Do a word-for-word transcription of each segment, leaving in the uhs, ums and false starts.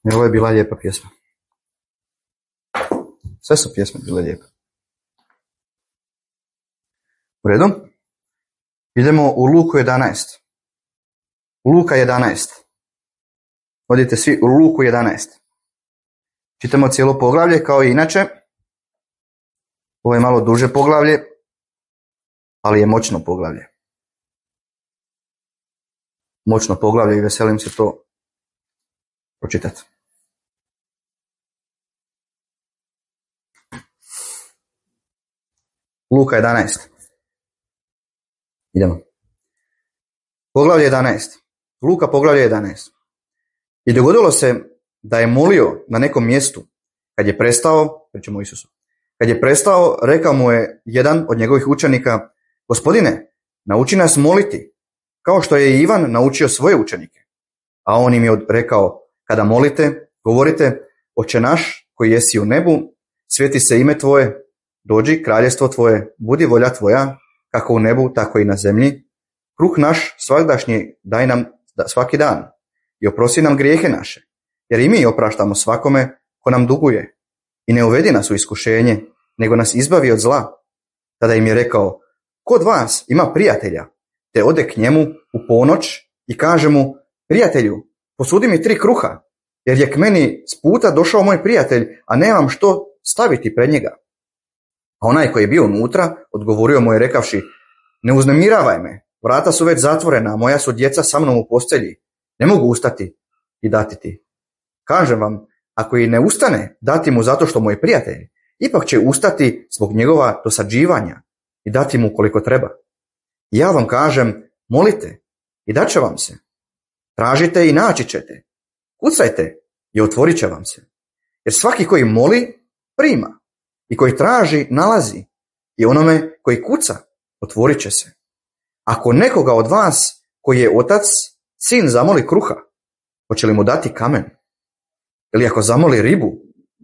Jer ovo je bila lijepa pjesma. Sve su pjesme bile lijepe. U redu? Idemo u Luku jedanaest. Luka jedanaest. Odite svi u Luku jedanaest. Čitamo cijelo poglavlje kao i inače. Ovo je malo duže poglavlje, ali je moćno poglavlje. Moćno poglavlje i veselim se to pročitati. Luka jedanaest. Idemo. Poglavlje jedanaest. Luka poglavlje jedanaest. I dogodilo se da je molio na nekom mjestu. Kad je prestao, pričamo o Isusu, kad je prestao, rekao mu je jedan od njegovih učenika: Gospodine, nauči nas moliti, kao što je i Ivan naučio svoje učenike. A on im je rekao: kada molite, govorite: Oče naš koji jesi u nebu, sveti se ime tvoje, dođi kraljestvo tvoje, budi volja tvoja, kako u nebu, tako i na zemlji. Kruh naš svagdašnji daj nam svaki dan i oprosti nam grijehe naše, jer i mi opraštamo svakome ko nam duguje. I ne uvedi nas u iskušenje, nego nas izbavi od zla. Tada im je rekao: kod vas ima prijatelja, te ode k njemu u ponoć i kaže mu: prijatelju, posudi mi tri kruha, jer je k meni s puta došao moj prijatelj, a nemam što staviti pred njega. A onaj koji je bio unutra odgovorio mu je rekavši: ne uznemiravaj me, vrata su već zatvorena, a moja su djeca sa mnom u postelji, ne mogu ustati i dati ti. Kažem vam, ako i ne ustane dati mu zato što mu je prijatelj, ipak će ustati zbog njegova dosađivanja i dati mu koliko treba. I ja vam kažem, molite i dat će vam se. Tražite i naći ćete. Kucajte i otvorit će vam se. Jer svaki koji moli, prima. I koji traži, nalazi. I onome koji kuca, otvorit će se. Ako nekoga od vas, koji je otac, sin zamoli kruha, hoće li mu dati kamen? Ili ako zamoli ribu,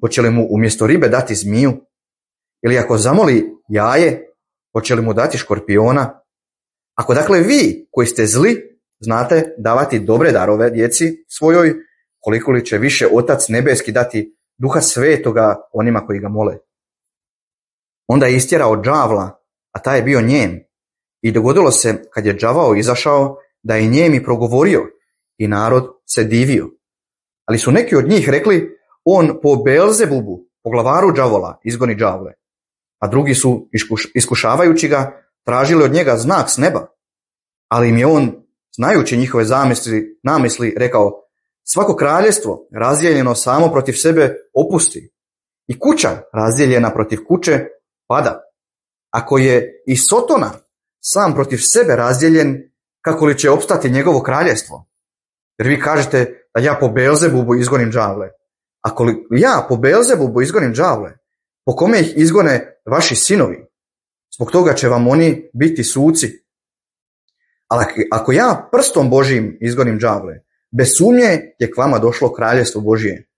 hoće li mu umjesto ribe dati zmiju? Ili ako zamoli jaje, hoće li mu dati škorpiona? Ako dakle vi, koji ste zli, znate davati dobre darove djeci svojoj, koliko li će više Otac nebeski dati Duha Svetoga onima koji ga mole? Onda je istjerao đavla, a taj je bio njem. I dogodilo se, kad je đavao izašao, da je njem i progovorio, i narod se divio. Ali su neki od njih rekli: on po Beelzebubu, po glavaru đavola, izgoni đavle. A drugi su, iskušavajući ga, tražili od njega znak s neba. Ali im je on, znajući njihove zamisli, namisli, rekao: svako kraljevstvo razdijeljeno samo protiv sebe opusti, i kuća razdijeljena protiv kuće pada. Ako je i Sotona sam protiv sebe razdijeljen, kako li će opstati njegovo kraljevstvo? Jer vi kažete da ja po Beelzebubu izgonim đavle. Ako li ja po Beelzebubu izgonim đavle, po kome ih izgone vaši sinovi? Zbog toga će vam oni biti suci. Ali ako ja prstom Božijim izgonim đavle, bez sumnje je k vama došlo kraljevstvo Božije.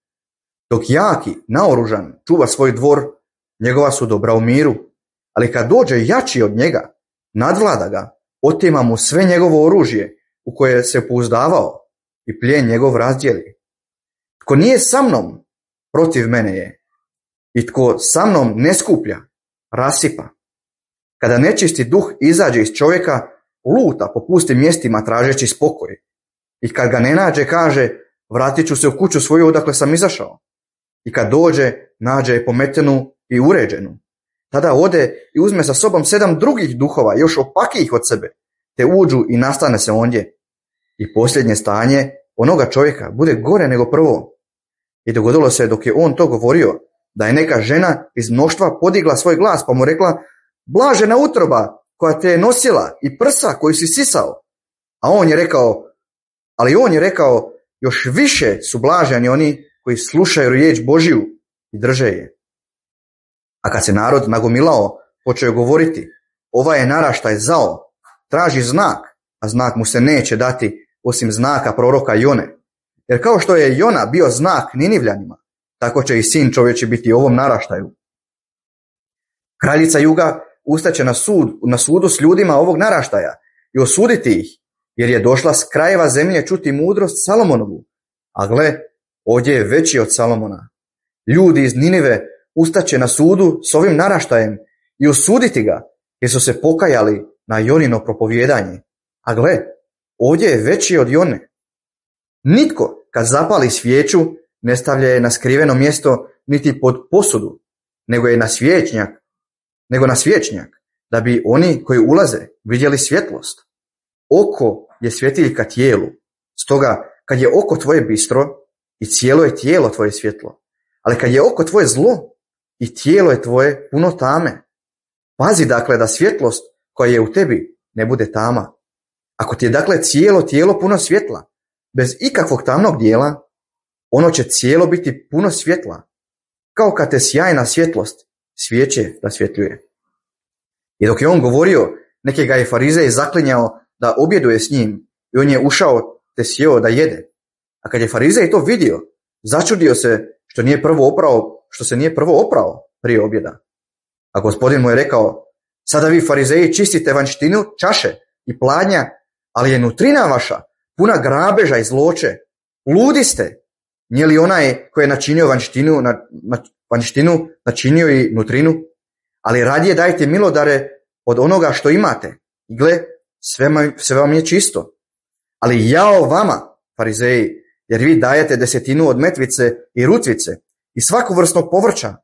Dok jaki, naoružan, čuva svoj dvor, njegova su dobra u miru. Ali kad dođe jači od njega, nadvlada ga, otima mu sve njegovo oružje u koje se pouzdavao i plijen njegov razdijeli. Tko nije sa mnom, protiv mene je. I tko sa mnom ne skuplja, rasipa. Kada nečisti duh izađe iz čovjeka, luta po pustim mjestima tražeći spokoj. I kad ga ne nađe, kaže: vratit ću se u kuću svoju odakle sam izašao. I kad dođe, nađe je pometenu i uređenu. Tada ode i uzme sa sobom sedam drugih duhova, još opakijih od sebe, te uđu i nastane se ondje. I posljednje stanje onoga čovjeka bude gore nego prvo. I dogodilo se, dok je on to govorio, da je neka žena iz mnoštva podigla svoj glas, pa mu rekla: blažena utroba koja te je nosila i prsa koji si sisao. A on je rekao, ali on je rekao, još više su blaženi oni koji slušaju riječ Božiju i drže je. A kad se narod nagomilao, počeo je govoriti: ovaj je naraštaj zao, traži znak, a znak mu se neće dati osim znaka proroka Jone. Jer kao što je Jona bio znak Ninivljanima, tako će i sin čovječi biti ovom naraštaju. Kraljica juga ustaće na, sud, na sudu s ljudima ovog naraštaja i osuditi ih, jer je došla s krajeva zemlje čuti mudrost Salomonovu. A gle, ovdje je veći od Salomona. Ljudi iz Ninive ustaće na sudu s ovim naraštajem i osuditi ga, jer su se pokajali na Jonino propovijedanje. A gle, ovdje je veći od Jone. Nitko, kad zapali svijeću, ne stavlja je na skriveno mjesto niti pod posudu, nego je na svječnjak, nego na svječnjak, da bi oni koji ulaze vidjeli svjetlost. Oko je svjetiljka tijelu, stoga kad je oko tvoje bistro, i cijelo je tijelo tvoje svjetlo. Ali kad je oko tvoje zlo, i tijelo je tvoje puno tame. Pazi dakle da svjetlost koja je u tebi ne bude tama. Ako ti je dakle cijelo tijelo puno svjetla, bez ikakvog tamnog dijela, ono će cijelo biti puno svjetla, kao kad te sjajna svjetlost svijeće rasvjetljuje. I dok je on govorio, neki ga je farizej zaklinjao da objeduje s njim, i on je ušao te sjeo da jede. A kad je farizej to vidio, začudio se što nije prvo oprao, što se nije prvo oprao prije objeda. A gospodin mu je rekao, sada vi farizeji čistite vanjštinu čaše i pladnja, ali je nutrina vaša puna grabeža i zloće. Ludi ste, nije li onaj koji je načinio vanjštinu, na, na, vanjštinu načinio i nutrinu? Ali radije dajte milodare od onoga što imate. I gle, sve, sve vam je čisto. Ali jao vama, farizeji, jer vi dajete desetinu od metvice i rutvice i svaku vrstnog povrća,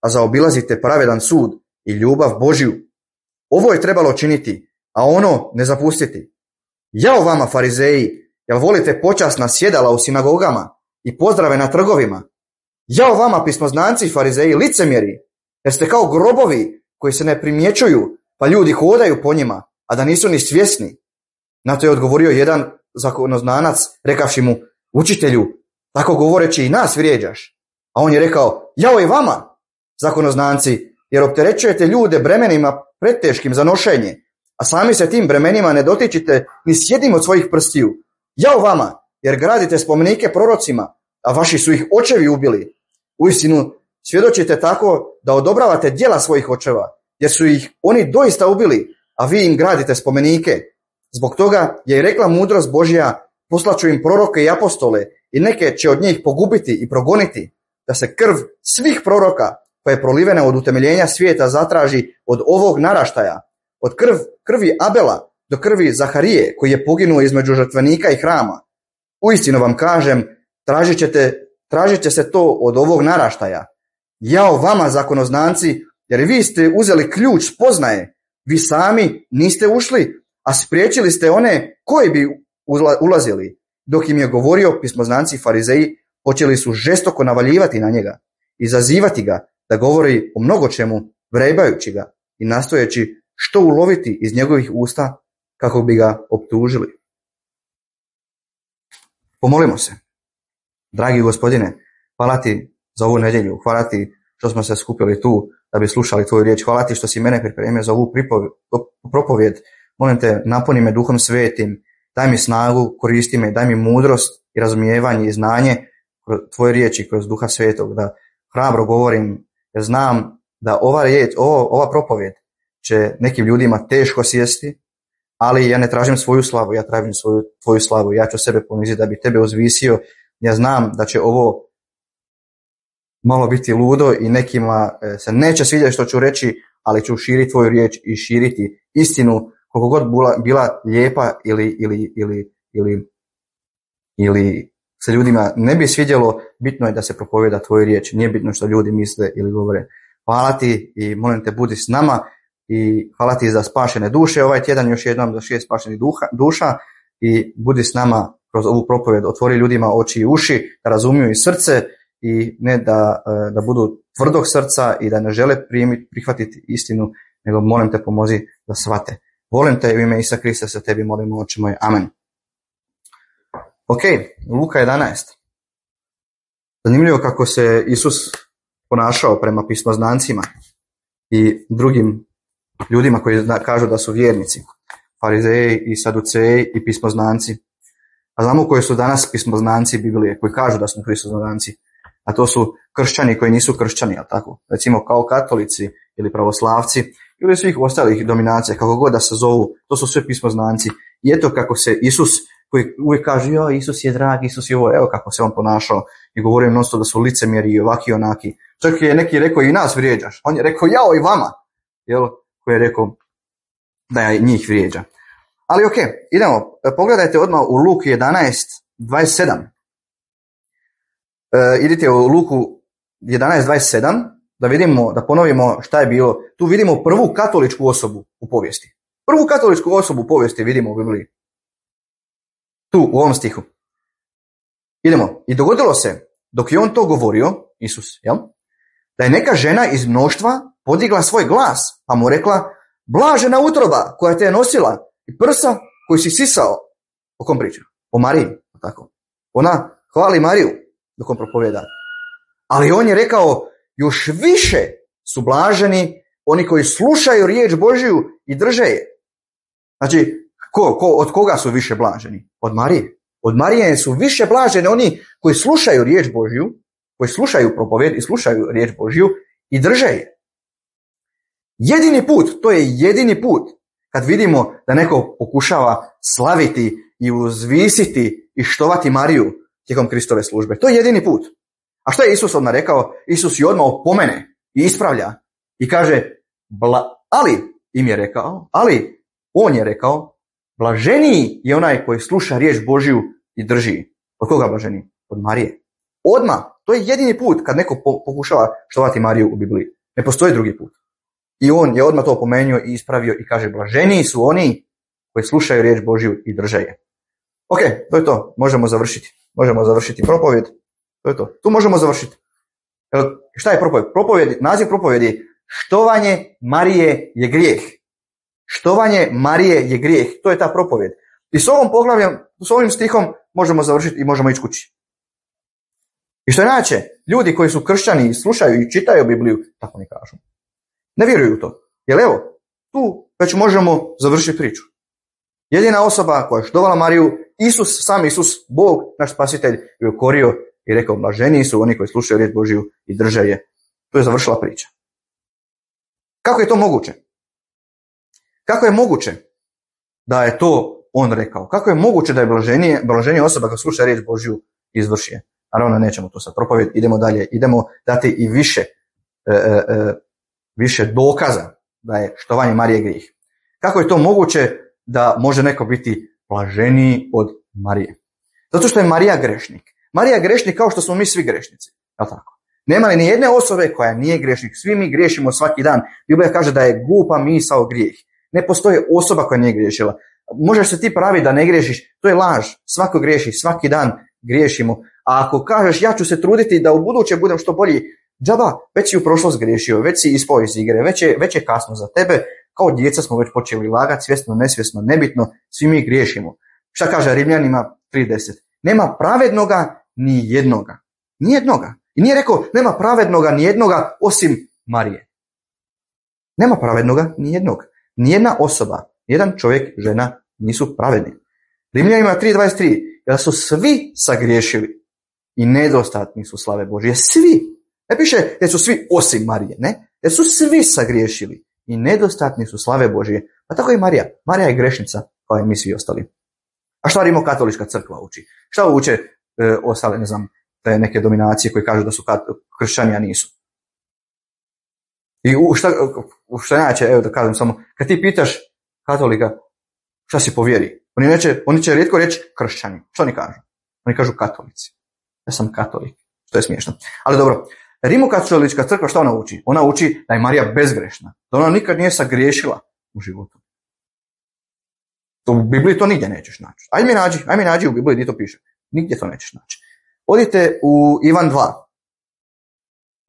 a zaobilazite pravedan sud i ljubav Božju. Ovo je trebalo činiti, a ono ne zapustiti. Jao vama, farizeji, jel volite počasna sjedala u sinagogama i pozdrave na trgovima? Jao vama, pismoznanci, farizeji, licemjeri, jer ste kao grobovi koji se ne primjećuju, pa ljudi hodaju po njima, a da nisu ni svjesni. Na to je odgovorio jedan zakonoznanac, rekavši mu, učitelju, tako govoreći i nas vrijeđaš. A on je rekao, jao i vama, zakonoznanci, jer opterećujete ljude bremenima preteškim za nošenje, a sami se tim bremenima ne dotičite ni s jednim od svojih prstiju. Jao vama, jer gradite spomenike prorocima, a vaši su ih očevi ubili. Uistinu, svjedočite tako da odobravate djela svojih očeva, jer su ih oni doista ubili, a vi im gradite spomenike. Zbog toga je i rekla mudrost Božja, poslaću im proroke i apostole, i neke će od njih pogubiti i progoniti, da se krv svih proroka koja je prolivena od utemeljenja svijeta zatraži od ovog naraštaja, od krv, krvi Abela do krvi Zaharije, koji je poginuo između žrtvenika i hrama. Uistinu vam kažem, tražit ćete, tražit će se to od ovog naraštaja. Jao vama, zakonoznanci, jer vi ste uzeli ključ spoznaje, vi sami niste ušli, a spriječili ste one koji bi ulazili. Dok im je govorio, pismoznanci i farizeji počeli su žestoko navaljivati na njega, izazivati ga da govori o mnogo čemu, vrebajući ga i nastojeći što uloviti iz njegovih usta kako bi ga optužili. Pomolimo se. Dragi gospodine, hvala ti za ovu nedjelju, hvala ti što smo se skupili tu da bi slušali tvoju riječ, hvala ti što si mene pripremio za ovu propovjed. Molim te, napuni me Duhom Svetim, daj mi snagu, koristi me, daj mi mudrost i razumijevanje i znanje tvoje riječi kroz Duha Svetog, da hrabro govorim, jer znam da ova riječ, ovo, ova propovjed će nekim ljudima teško sjesti, ali ja ne tražim svoju slavu, ja tražim svoju, tvoju slavu, ja ću sebe poniziti da bi tebe uzvisio. Ja znam da će ovo malo biti ludo i nekima se neće svidjeti što ću reći, ali ću širiti tvoju riječ i širiti istinu, koliko god bila, bila lijepa ili, ili, ili, ili, ili se ljudima ne bi svidjelo, bitno je da se propovjeda tvoju riječ, nije bitno što ljudi misle ili govore. Hvala ti i molim te, budi s nama i hvala ti za spašene duše ovaj tjedan, još jednom za šest spašenih duša i budi s nama kroz ovu propovjed, otvori ljudima oči i uši, da razumiju i srce i ne da, da budu tvrdog srca i da ne žele primiti, prihvatiti istinu, nego molim te, pomozi da shvate. Volim te u ime Isusa Krista se tebi molimo, oče moj. Amen. Ok, Luka jedanaest. Zanimljivo kako se Isus ponašao prema pismoznancima i drugim ljudima koji kažu da su vjernici. Farizeji i saduceji i pismoznanci. A znamo koji su danas pismoznanci Biblije, koji kažu da su pismoznanci. A to su kršćani koji nisu kršćani, ali tako? Recimo kao katolici ili pravoslavci ili svih ostalih dominacija, kako god da se zovu, to su sve pismoznanci. I eto kako se Isus koji uvijek kaže, jo, Isus je drag, Isus je ovo, evo kako se on ponašao i govorio non-stop da su licemjeri i ovaki i onaki. Čak je neki rekao i nas vrijeđaš. On je rekao, jao i vama, jel, koji je rekao da je njih vrijeđa. Ali ok, idemo, pogledajte odmah u Luku jedanaest dvadeset sedam. E, idite u Luku jedanaest dvadeset sedam da vidimo, da ponovimo šta je bilo. Tu vidimo prvu katoličku osobu u povijesti. Prvu katoličku osobu u povijesti vidimo u Bibliji. Tu, u ovom stihu. Idemo. I dogodilo se, dok je on to govorio, Isus, jel? Da je neka žena iz mnoštva podigla svoj glas, pa mu rekla, blažena utroba koja te je nosila i prsa koji si sisao. O kom priča? O Mariji. Tako. Ona hvali Mariju dok on propovjeda. Ali on je rekao, još više su blaženi oni koji slušaju riječ Božju i drže je. Znači, ko, ko, od koga su više blaženi? Od Marije. Od Marije su više blaženi oni koji slušaju riječ Božju, koji slušaju propovjed i slušaju riječ Božju i drže je. Jedini put, to je jedini put kad vidimo da neko pokušava slaviti i uzvisiti i štovati Mariju tijekom Kristove službe. To je jedini put. A što je Isus odmah rekao? Isus je odmah opomene i ispravlja i kaže, bla, ali im je rekao, ali on je rekao, blaženiji je onaj koji sluša riječ Božju i drži. Od koga blaženiji? Od Marije. Odmah, to je jedini put kad neko pokušava štovati Mariju u Bibliji. Ne postoji drugi put. I on je odmah to opomenuo i ispravio i kaže, blaženiji su oni koji slušaju riječ Božju i drže je. Ok, to je to. Možemo završiti. Možemo završiti propovjed. To je to. Tu možemo završiti. Šta je propovjed? Propovjed, naziv propovjedi, štovanje Marije je grijeh. Štovanje Marije je grijeh. To je ta propovjed. I s ovom poglavljem, s ovim stihom možemo završiti i možemo ići kući. I što inače, ljudi koji su kršćani i slušaju i čitaju Bibliju, tako ne kažu. Ne vjeruju u to. Jer evo, tu već možemo završiti priču. Jedina osoba koja je štovala Mariju, Isus, sam Isus, Bog, naš spasitelj, je ukorio i rekao, blaženiji su oni koji slušaju riječ Božju i drže je. To je završila priča. Kako je to moguće? Kako je moguće da je to on rekao? Kako je moguće da je blaženije, blaženije osoba koja sluša riječ Božju izvrši je? Naravno, nećemo to sad propovjed, idemo dalje, idemo dati i više, e, e, više dokaza da je štovanje Marije grijeh. Kako je to moguće da može neko biti blaženiji od Marije? Zato što je Marija grešnik. Marija je grešnik kao što smo mi svi grešnici. Je li tako? Nema li ni jedne osobe koja nije grešnik. Svi mi griješimo svaki dan. Biblija kaže da je glupa misao grijeh. Ne postoji osoba koja nije griješila. Možeš se ti pravi da ne griješiš, to je laž. Svako griješi, svaki dan griješimo. A ako kažeš ja ću se truditi da u buduće budem što bolji, džaba, već si u prošlost griješio, već si ispao iz igre, već je, već je kasno za tebe. Kao djeca smo već počeli lagati, svjesno, nesvjesno, nebitno, svi mi griješimo. Šta kaže Rimljanima tri deset? Nema pravednoga ni jednoga. Ni jednoga. I nije rekao nema pravednoga ni jednoga osim Marije. Nema pravednoga ni jednog. Nijedna osoba, jedan čovjek, žena nisu pravedni. Rimljanima tri dvadeset tri, jer su svi sagriješili i nedostatni su slave Božje. Svi. Ne piše jer su svi osim Marije, ne? Jer su svi sagriješili i nedostatni su slave Božje. Pa tako i Marija. Marija je grešnica kao i mi svi ostali. A šta Rimokatolička crkva uči? Šta uče e, ostale, ne znam, te neke dominacije koji kažu da su kat, kršćani, a nisu? I u šta, u šta inače, evo da kažem samo, kad ti pitaš katolika šta si po vjeri, oni, neće, oni će rijetko reći kršćani. Što oni kažu? Oni kažu katolici. Ja sam katolik. To je smiješno. Ali dobro, Rimokatolička crkva šta ona uči? Ona uči da je Marija bezgrešna. Da ona nikad nije sagriješila u životu. U Bibliji to nigdje nećeš naći. Ajde mi nađi, ajde mi nađi u Bibliji gdje to piše. Nigdje to nećeš naći. Odite u Ivan dva.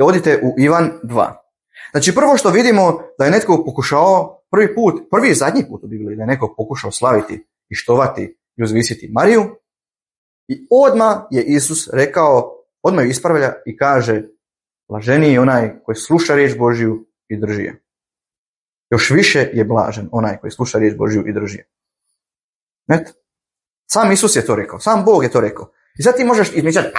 Odite u Ivan dva. Znači prvo što vidimo da je netko pokušao prvi put, prvi i zadnji put u Bibliji, da je neko pokušao slaviti i štovati i uzvisiti Mariju. I odmah je Isus rekao, odmah ju ispravlja i kaže, blaženiji je onaj koji sluša riječ Božju i drži je. Još više je blažen onaj koji sluša riječ Božju i drži je. Eto. Sam Isus je to rekao, sam Bog je to rekao. I sad ti možeš izmišljati,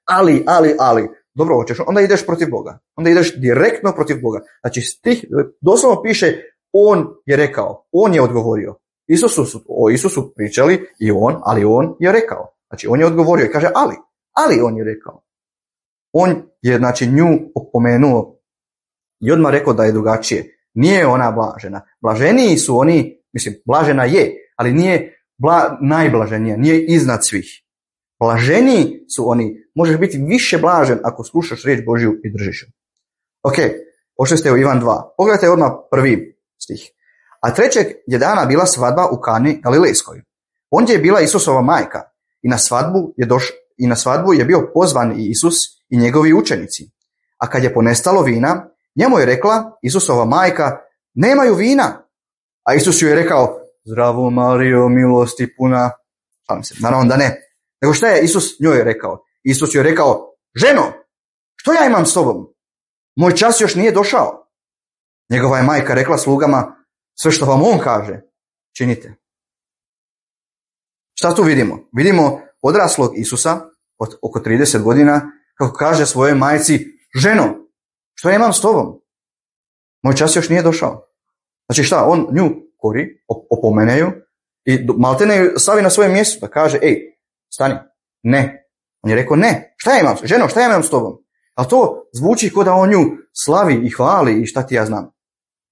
ali, ali, ali. Dobro hoćeš, onda ideš protiv Boga. Onda ideš direktno protiv Boga. Znači stih doslovno piše, on je rekao, on je odgovorio. Isusu su, o Isusu pričali i on, ali on je rekao. Znači, on je odgovorio i kaže, ali, ali on je rekao. On je, znači, nju opomenuo i odmah rekao da je drugačije. Nije ona blažena. Blaženiji su oni, mislim, blažena je, ali nije bla, najblaženija, nije iznad svih. Blaženiji su oni, možeš biti više blažen ako slušaš riječ Božju i držiš ju. Ok, pošli ste u Ivan dva. Pogledajte odmah prvi stih. A trećeg je dana bila svadba u Kani Galilejskoj. Ondje je bila Isusova majka i na svadbu je doš, i na svadbu je bio pozvan i Isus i njegovi učenici. A kad je ponestalo vina, njemu je rekla Isusova majka, nemaju vina. A Isus joj je rekao, zdravo Marijo, milosti puna. Šalim se, naravno da ne. Nego šta je Isus njoj rekao? Isus joj je rekao, ženo, što ja imam s tobom? Moj čas još nije došao. Njegova je majka rekla slugama, sve što vam on kaže, činite. Šta tu vidimo? Vidimo odraslog Isusa od oko trideset godina kako kaže svojoj majci, ženo, što ja imam s tobom? Moj čas još nije došao. Znači šta, on nju kori, opomeneju i maltene ju stavi na svoje mjesto da kaže, ej, stani, ne. On je rekao, ne, šta ja imam, ženo, šta ja imam s tobom? Ali to zvuči kao da on nju slavi i hvali i šta ti ja znam.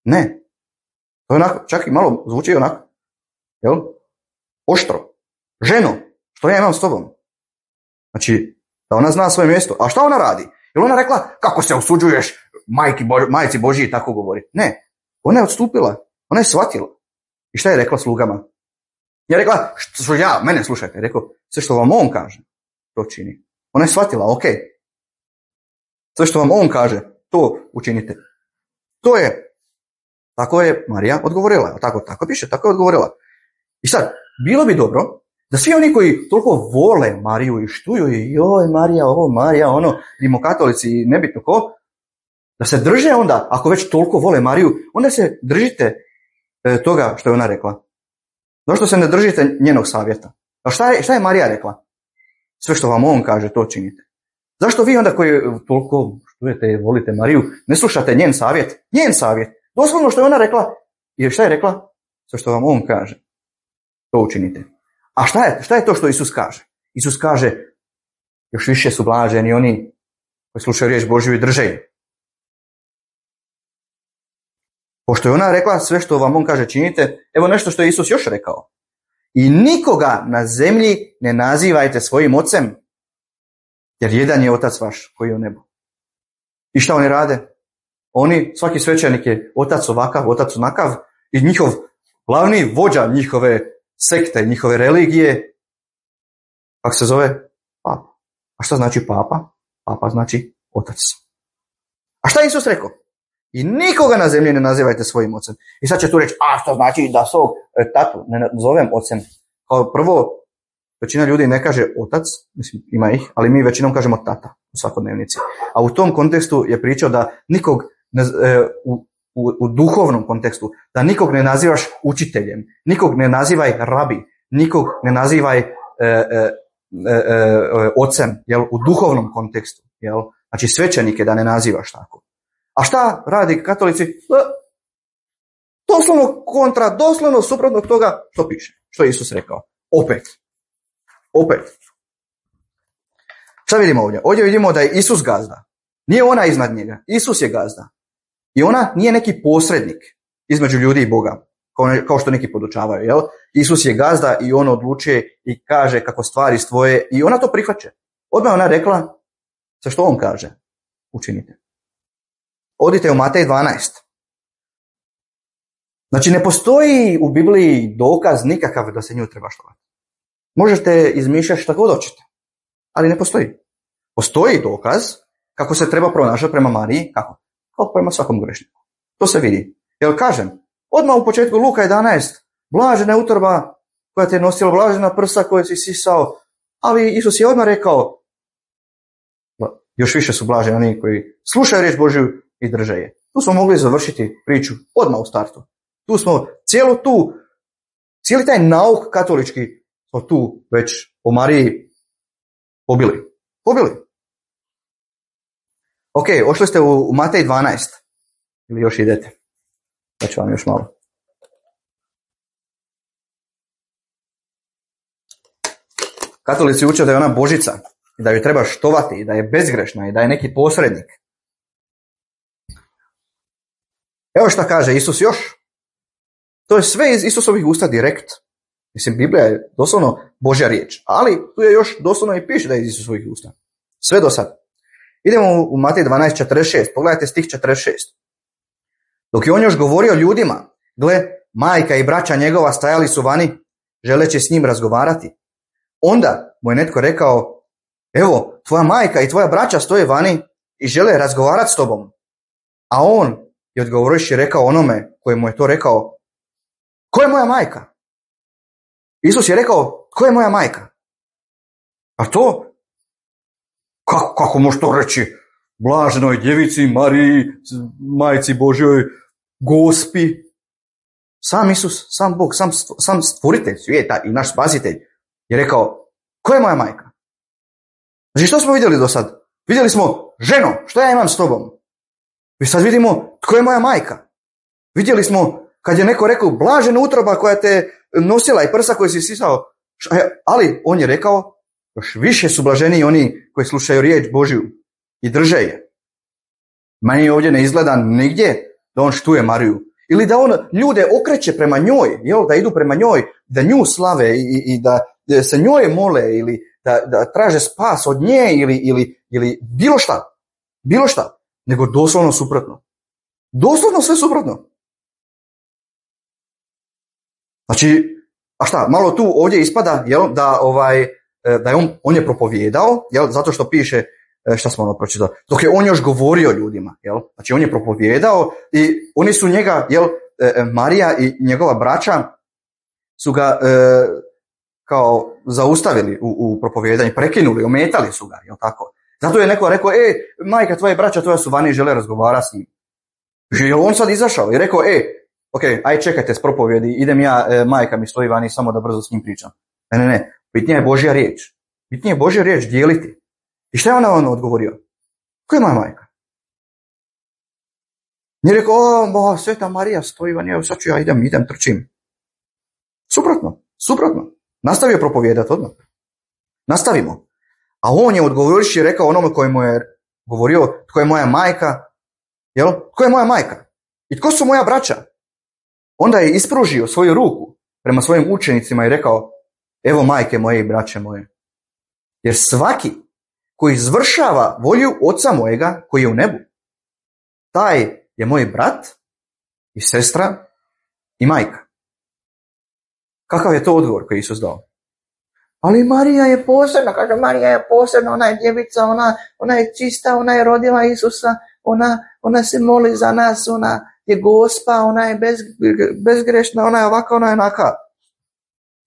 Ne. To je onako, čak i malo zvuči onako, jel? Oštro. Ženo, što ja imam s tobom? Znači, da ona zna svoje mjesto. A šta ona radi? Jel ona rekla, kako se usuđuješ majki, majci Božji tako govori? Ne. Ona je odstupila. Ona je shvatila. I šta je rekla slugama? Je rekla, što ja, mene slušajte. Je rekao, sve što vam on kaže, to čini. Ona je shvatila, ok. Sve što vam on kaže, to učinite. To je, tako je Marija odgovorila. Tako, tako piše, tako je odgovorila. I sad, bilo bi dobro da svi oni koji toliko vole Mariju i štuju i joj Marija, ovo Marija, ono, rimokatolici i nebitno ko, da se drže onda, ako već toliko vole Mariju, onda se držite e, toga što je ona rekla. Zašto se ne držite njenog savjeta? A šta je, šta je Marija rekla? Sve što vam on kaže, to činite. Zašto vi onda koji toliko štujete i volite Mariju, ne slušate njen savjet? Njen savjet. Doslovno što je ona rekla. I šta je rekla? Sve što vam on kaže, to učinite. A šta je, šta je to što Isus kaže? Isus kaže, još više su blaženi oni koji slušaju riječ Božju i drže je. Pošto je ona rekla sve što vam on kaže činite, evo nešto što je Isus još rekao. I nikoga na zemlji ne nazivajte svojim ocem, jer jedan je otac vaš koji je u nebu. I šta oni rade? Oni, svaki svećenik je otac ovakav, otac onakav i njihov glavni vođa njihove sekte, njihove religije, kako se zove? Papa. A šta znači papa? Papa znači otac. A šta je Isus rekao? I nikoga na zemlji ne nazivajte svojim ocem. I sad će tu reći, a što znači da svog e, tatu ne zovem ocem? Kao prvo, većina ljudi ne kaže otac, mislim ima ih, ali mi većinom kažemo tata u svakodnevnici. A u tom kontekstu je pričao da nikog ne, e, u, u, u duhovnom kontekstu, da nikog ne nazivaš učiteljem, nikog ne nazivaj rabi, nikog ne nazivaj e, e, e, e, ocem, jel, u duhovnom kontekstu. Jel? Znači svećenike da ne nazivaš tako. A šta radi katolici? Doslovno kontra, doslovno suprotno toga što piše, što je Isus rekao. Opet. Opet. Šta vidimo ovdje? Ovdje vidimo da je Isus gazda. Nije ona iznad njega. Isus je gazda. I ona nije neki posrednik između ljudi i Boga, kao, ne, kao što neki podučavaju. Jel? Isus je gazda i on odlučuje i kaže kako stvari stvoje i ona to prihvaća. Odmah ona rekla sve što on kaže. Učinite. Odite u Matej dvanaest. Znači ne postoji u Bibliji dokaz nikakav da se nju treba štovati. Možete izmišljati šta god hoćete, ali ne postoji. Postoji dokaz kako se treba pronašati prema Mariji, kako? Kao prema svakom grešniku. To se vidi. Jer kažem, odmah u početku Luka jedanaest, blažena je utorba koja te je nosila, blažena prsa koja si sisao, ali Isus je odmah rekao, još više su blaženi oni koji slušaju riječ Božju i drže je. Tu smo mogli završiti priču odmah u startu. Tu smo cijelu tu, cijeli taj nauk katolički smo tu već o Mariji pobili. Pobili. Ok, ošli ste u, u Matej dvanaest. Ili još idete? Da ću vam još malo. Katolici uče da je ona Božica, i da ju treba štovati, i da je bezgrešna, i da je neki posrednik. Evo šta kaže Isus još. To je sve iz Isusovih usta direkt. Mislim, Biblija je doslovno Božja riječ, ali tu je još doslovno i piše da je iz Isusovih usta. Sve do sad. Idemo u Matej dvanaest četrdeset šest, pogledajte stih četrdeset šest. Dok je on još govorio ljudima, gle, majka i braća njegova stajali su vani, želeći s njim razgovarati. Onda mu je netko rekao, evo, tvoja majka i tvoja braća stoje vani i žele razgovarati s tobom. A on je odgovoriš i rekao onome koji mu je to rekao, ko je moja majka? Isus je rekao, ko je moja majka? A to? Kako, kako može to reći? Blaženoj djevici Mariji, majci Božjoj, Gospi. Sam Isus, sam Bog, sam, sam stvoritelj svijeta i naš spasitelj je rekao, ko je moja majka? Znači što smo vidjeli do sad? Vidjeli smo, ženo, što ja imam s tobom? I sad vidimo, tko je moja majka? Vidjeli smo, kad je neko rekao, blažena utroba koja te nosila i prsa koje si sisao, ali on je rekao, još više su blaženiji oni koji slušaju riječ Božju i drže je. Meni ovdje ne izgleda nigdje da on štuje Mariju. Ili da on ljude okreće prema njoj, jel, da idu prema njoj, da nju slave i, i, i da, da se njoj mole ili da, da traže spas od nje ili, ili, ili bilo šta. Bilo šta. Nego doslovno suprotno. Doslovno sve suprotno. Znači, a šta, malo tu ovdje ispada, jel, da, ovaj, da je on, on je propovijedao, jel, zato što piše, šta smo ono pročitali, dok je on još govorio ljudima, jel, znači on je propovijedao i oni su njega, jel, Marija i njegova braća su ga e, kao zaustavili u, u propovijedanju, prekinuli, ometali su ga, jel tako? Zato je neko rekao, e, majka tvoje braća tvoja su vani i žele razgovarati s njim. I on sad izašao i rekao, e, ok, aj čekajte s propovjedi, idem ja, e, majka mi stoji vani, samo da brzo s njim pričam. Ne, ne, ne, bitnija je Božja riječ. Bitnija je Božja riječ dijeliti. I šta je ona on odgovorio? Ko je moja majka? Nije rekao, o, bo, Sveta Marija stoji vani, evo sad ću ja idem, idem, trčim. Suprotno, suprotno. Nastavio propovijedati odmah. Nastavimo. A on je odgovoriš i rekao onome koji mu je govorio, tko je moja majka, jel? Tko je moja majka? I tko su moja braća? Onda je ispružio svoju ruku prema svojim učenicima i rekao, evo majke moje i braće moje. Jer svaki koji izvršava volju oca mojega koji je u nebu, taj je moj brat i sestra i majka. Kakav je to odgovor koji je Isus dao? Ali Marija je posebna, kaže Marija je posebna, ona je djevica, ona, ona je čista, ona je rodila Isusa, ona, ona se moli za nas, ona je Gospa, ona je bez, bezgrešna, ona je ovaka, ona je onaka.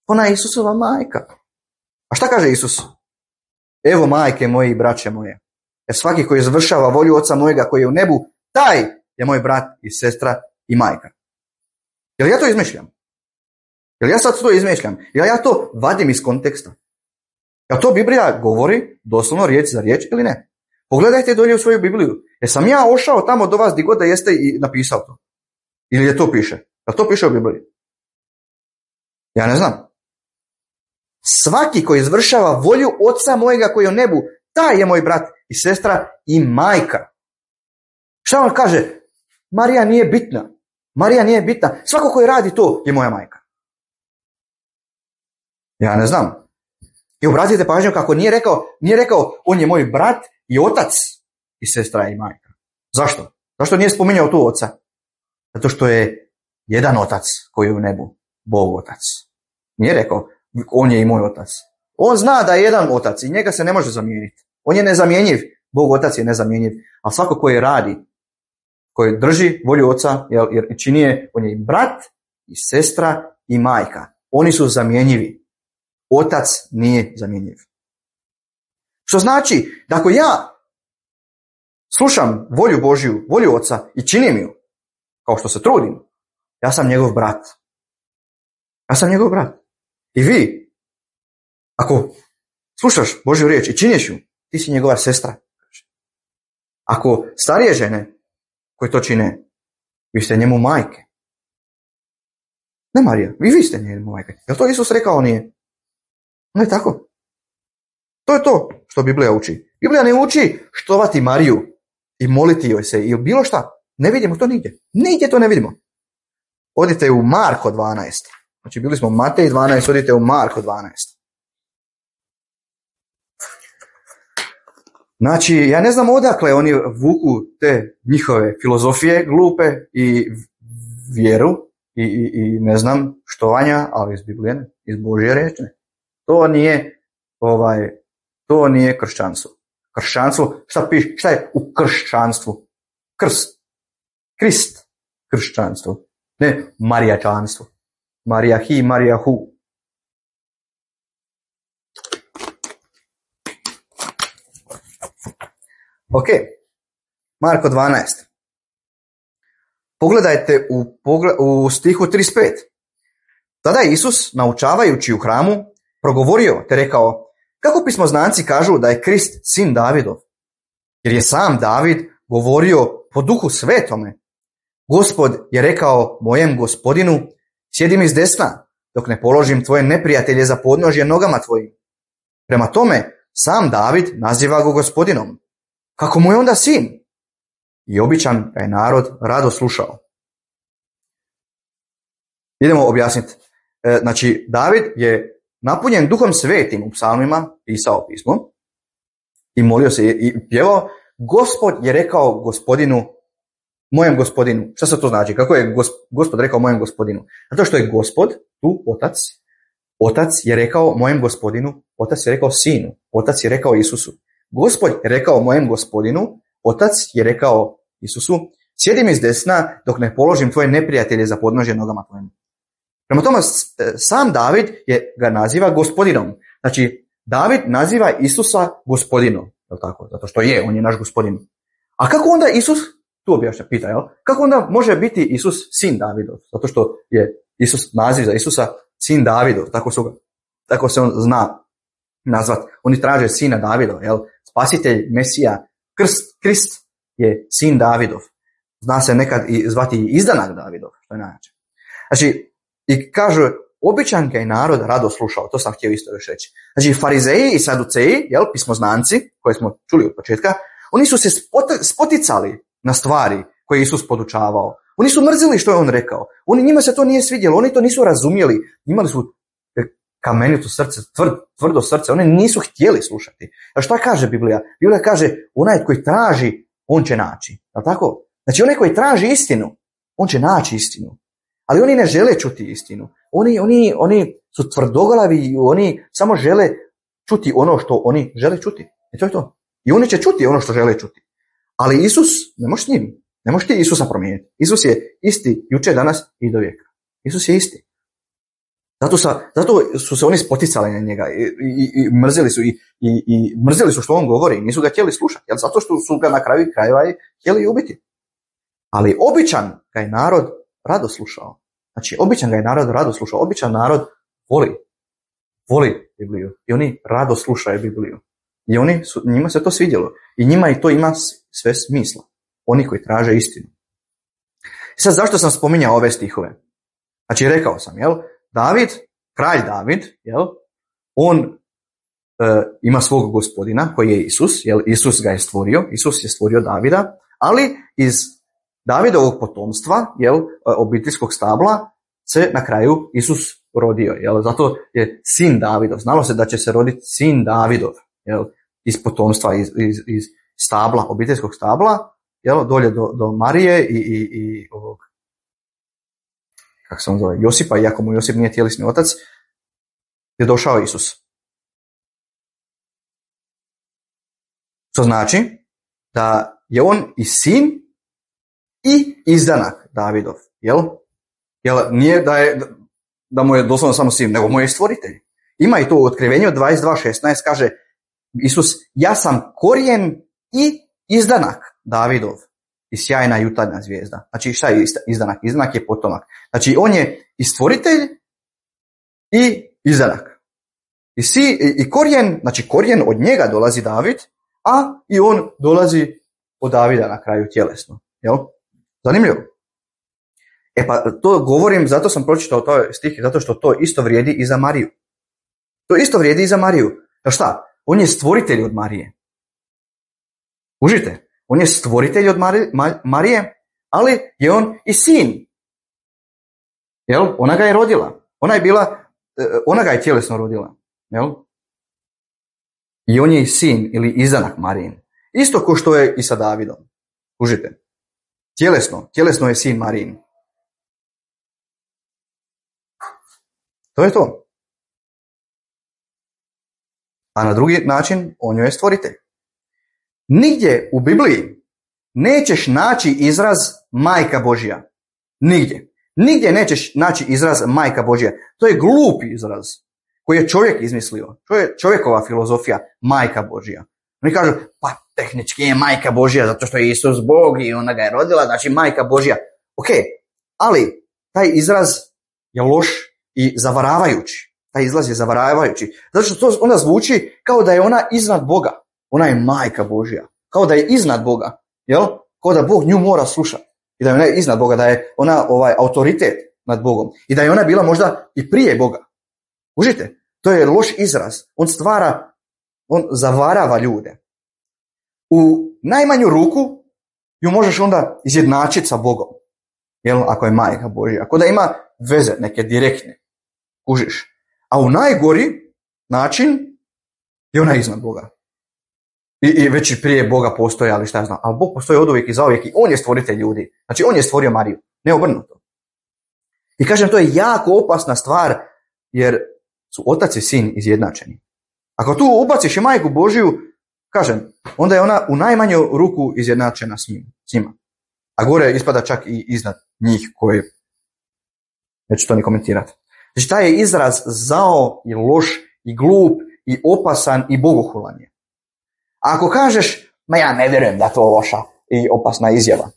Ona je Isusova majka. A šta kaže Isus? Evo majke moje i braće moje. Jer svaki koji izvršava volju oca mojega koji je u nebu, taj je moj brat i sestra i majka. Jel ja to izmišljam? Jel ja sad to izmišljam? Jel ja to vadim iz konteksta? Jel to Biblija govori doslovno riječ za riječ ili ne? Pogledajte dolje u svoju Bibliju. Jesam ja ošao tamo do vas gdje god da jeste i napisao to? Ili je to piše? Jel to piše u Bibliji? Ja ne znam. Svaki koji izvršava volju oca mojega koji je u nebu, taj je moj brat i sestra i majka. Šta on kaže? Marija nije bitna. Marija nije bitna. Svako koji radi to je moja majka. Ja ne znam. I obratite pažnju kako nije rekao, nije rekao on je moj brat i otac i sestra i majka. Zašto? Zašto nije spominjao tu oca? Zato što je jedan otac koji je u nebu, Bog otac. Nije rekao on je i moj otac. On zna da je jedan otac i njega se ne može zamijeniti. On je nezamjenjiv. Bog otac je nezamjenjiv. A svako koji radi, koji drži volju oca, jer čini je, on je i brat i sestra i majka. Oni su zamjenjivi. Otac nije zamjenjiv. Što znači da ako ja slušam volju Božju, volju oca i činim ju, kao što se trudim, ja sam njegov brat. Ja sam njegov brat. I vi, ako slušaš Božju riječ i činiš ju, ti si njegova sestra. Ako starije žene koje to čine, vi ste njemu majke. Ne Marija, vi, vi ste njemu majke. Je li to Isus rekao? Nije. Ne tako. To je to što Biblija uči. Biblija ne uči štovati Mariju i moliti joj se ili bilo šta. Ne vidimo to nigdje. Nigdje to ne vidimo. Odite u Marko dvanaest. Znači bili smo u Matej dvanaest, odite u Marko dvanaest. Znači, ja ne znam odakle oni vuku te njihove filozofije glupe i vjeru i, i, i ne znam štovanja, ali iz Biblije, iz Božje riječi. To nije ovaj, to nije kršćanstvo. Kršćanstvo, šta piše, šta je u kršćanstvu? Krst. Krist. Kršćanstvo. Ne marijačanstvo. Marija hi, Marija hu. Ok, Marko dvanaest. Pogledajte u, pogled, u stihu trideset pet. Tada je Isus, naučavajući u hramu, progovorio te rekao: kako pismoznanci kažu da je Krist sin Davidov? Jer je sam David govorio po duhu svetome. Gospod je rekao mojem gospodinu: sjedi mi s desna, dok ne položim tvoje neprijatelje za podnožje nogama tvojim. Prema tome, sam David naziva ga gospodinom. Kako mu je onda sin? I običan ga je narod rado slušao. Idemo objasniti. E, znači, David je napunjen duhom svetim u psalmima, pisao pismo i molio se i pjevao: Gospod je rekao gospodinu, mojem gospodinu. Šta se to znači? Kako je Gospod rekao mojem gospodinu? Zato što je Gospod, tu otac, otac je rekao mojem gospodinu, otac je rekao sinu, otac je rekao Isusu. Gospod je rekao mojem gospodinu, otac je rekao Isusu: sjedi mi s desna dok ne položim tvoje neprijatelje za podnožje nogama tvojim. Prema tome, sam David je, ga naziva gospodinom. Znači, David naziva Isusa gospodinom. Je li tako? Zato što je, on je naš gospodin. A kako onda Isus, tu objašnja, pita, jel? Kako onda može biti Isus sin Davidov? Zato što je Isus, naziv za Isusa, sin Davidov. Tako, su, tako se on zna nazvat. Oni traže sina Davidova, jel? Spasitelj, Mesija, krst, Krist je sin Davidov. Zna se nekad i zvati izdanak Davidov, što je najjače. Znači, i kažu, običan ga je narod rado slušao, to sam htio isto još reći. Znači, farizeji i saduceji, jel, pismoznanci, koje smo čuli od početka, oni su se spoticali na stvari koje je Isus podučavao. Oni su mrzili što je on rekao. Oni, njima se to nije svidjelo, oni to nisu razumjeli. Imali su kamenito srce, tvrd, tvrdo srce, oni nisu htjeli slušati. A šta kaže Biblija? Biblija kaže, onaj koji traži, on će naći. Je tako? Znači, onaj koji traži istinu, on će naći istinu. Ali oni ne žele čuti istinu. Oni, oni, oni su tvrdoglavi i oni samo žele čuti ono što oni žele čuti. I to je to. I oni će čuti ono što žele čuti. Ali Isus, ne možeš s njim. Ne možeš ti Isusa promijeniti. Isus je isti jučer, danas i do vijeka. Isus je isti. Zato, sa, zato su se oni spoticali na njega i, i, i mrzili su i, i, i mrzili su što on govori. Nisu ga htjeli slušati. Jer zato što su ga na kraju krajeva i htjeli ubiti. Ali običan ga je narod rado slušao. Znači, običan ga je narod rado slušao. Običan narod voli. Voli Bibliju. I oni rado slušaju Bibliju. I oni su, njima se to svidjelo. I njima i to ima sve smisla. Oni koji traže istinu. I sad, zašto sam spominjao ove stihove? Znači, rekao sam, jel? David, kralj David, jel? On e, ima svog gospodina koji je Isus. Jel? Isus ga je stvorio. Isus je stvorio Davida. Ali iz Davidovog potomstva, jel, obiteljskog stabla, se na kraju Isus rodio. Jel? Zato je sin Davidov. Znalo se da će se roditi sin Davidov, jel, iz potomstva, iz, iz, iz stabla, obiteljskog stabla, jel, dolje do, do Marije i, i, i ovog, kako se on zove, Josipa, iako mu Josip nije tjelesni otac, je došao Isus. To znači da je on i sin i izdanak Davidov, jel? Jel, nije da je, da mu je doslovno samo sin, nego mu je stvoritelj. Ima i to u Otkrivenju dvadeset dva šesnaest, kaže Isus, ja sam korijen i izdanak Davidov i sjajna jutarnja zvijezda. Znači, šta je izdanak? Izdanak je potomak. Znači, on je i stvoritelj i izdanak. I, si, i korijen, znači korijen od njega dolazi David, a i on dolazi od Davida na kraju tjelesno. Jel? Zanimljivo. E pa to govorim, zato sam pročitao to stih, zato što to isto vrijedi i za Mariju. To isto vrijedi i za Mariju. Jer šta? on je stvoritelj od Marije. Užite, on je stvoritelj od Marije, ali je on i sin. Jel? Ona ga je rodila. Ona je bila, ona ga je tjelesno rodila. Jel? I on je i sin ili izanak Marijin. Isto ko što je i sa Davidom. Užite. Tjelesno, tjelesno je sin Marijin. To je to. A na drugi način on joj je stvoritelj. Nigdje u Bibliji nećeš naći izraz Majka Božja. Nigdje. Nigdje nećeš naći izraz Majka Božja. To je glupi izraz koji je čovjek izmislio. To je čovjekova filozofija, Majka Božja. Oni kažu, pa tehnički je Majka Božja zato što je Isus Bog i ona ga je rodila, znači Majka Božja. Ok, ali taj izraz je loš i zavaravajući. Taj izraz je zavaravajući. Zato što to onda zvuči kao da je ona iznad Boga. Ona je Majka Božja. Kao da je iznad Boga. Jel? Kao da Bog nju mora slušati. I da je ona iznad Boga, da je ona ovaj autoritet nad Bogom. I da je ona bila možda i prije Boga. Užite, to je loš izraz. On stvara, on zavarava ljude. U najmanju ruku ju možeš onda izjednačiti sa Bogom. Jel? Ako je Majka Božja. Ako da ima veze neke direktne. Kužiš. A u najgori način je ona iznad Boga. I, i već i prije Boga postoji, ali šta ja znam. Ali Bog postoji od uvijek i zauvijek i on je stvoritelj ljudi. Znači on je stvorio Mariju, ne obrnuto. I kažem, to je jako opasna stvar, jer su otac i sin izjednačeni. Ako tu ubaciš i Majku Božju, kažem, onda je ona u najmanju ruku izjednačena s njim, s njima. A gore ispada čak i iznad njih koje, neću to ni komentirati. Znači taj je izraz zao i loš i glup i opasan i bogohulan je. A ako kažeš, ma ja ne vjerujem da to loša i opasna izjava,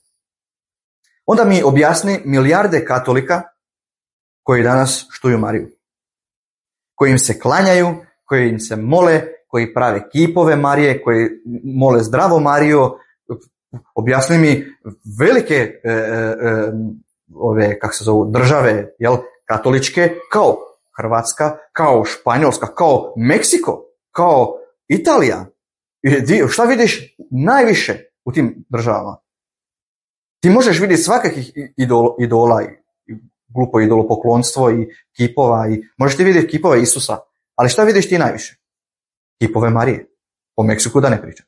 onda mi objasni milijarde katolika koji danas štuju Mariju. Koji im se klanjaju, koji im se mole, koji prave kipove Marije, koji mole zdravo Mariju. Objasni mi velike e, e, ove, kako se zovu, države, jel, katoličke, kao Hrvatska, kao Španjolska, kao Meksiko, kao Italija. I šta vidiš najviše u tim državama? Ti možeš vidjeti svakakih idol, idola, i glupo idolopoklonstvo i kipova, i možeš ti vidjeti kipove Isusa, ali šta vidiš ti najviše? Kipove Marije. O Meksiku da ne pričam.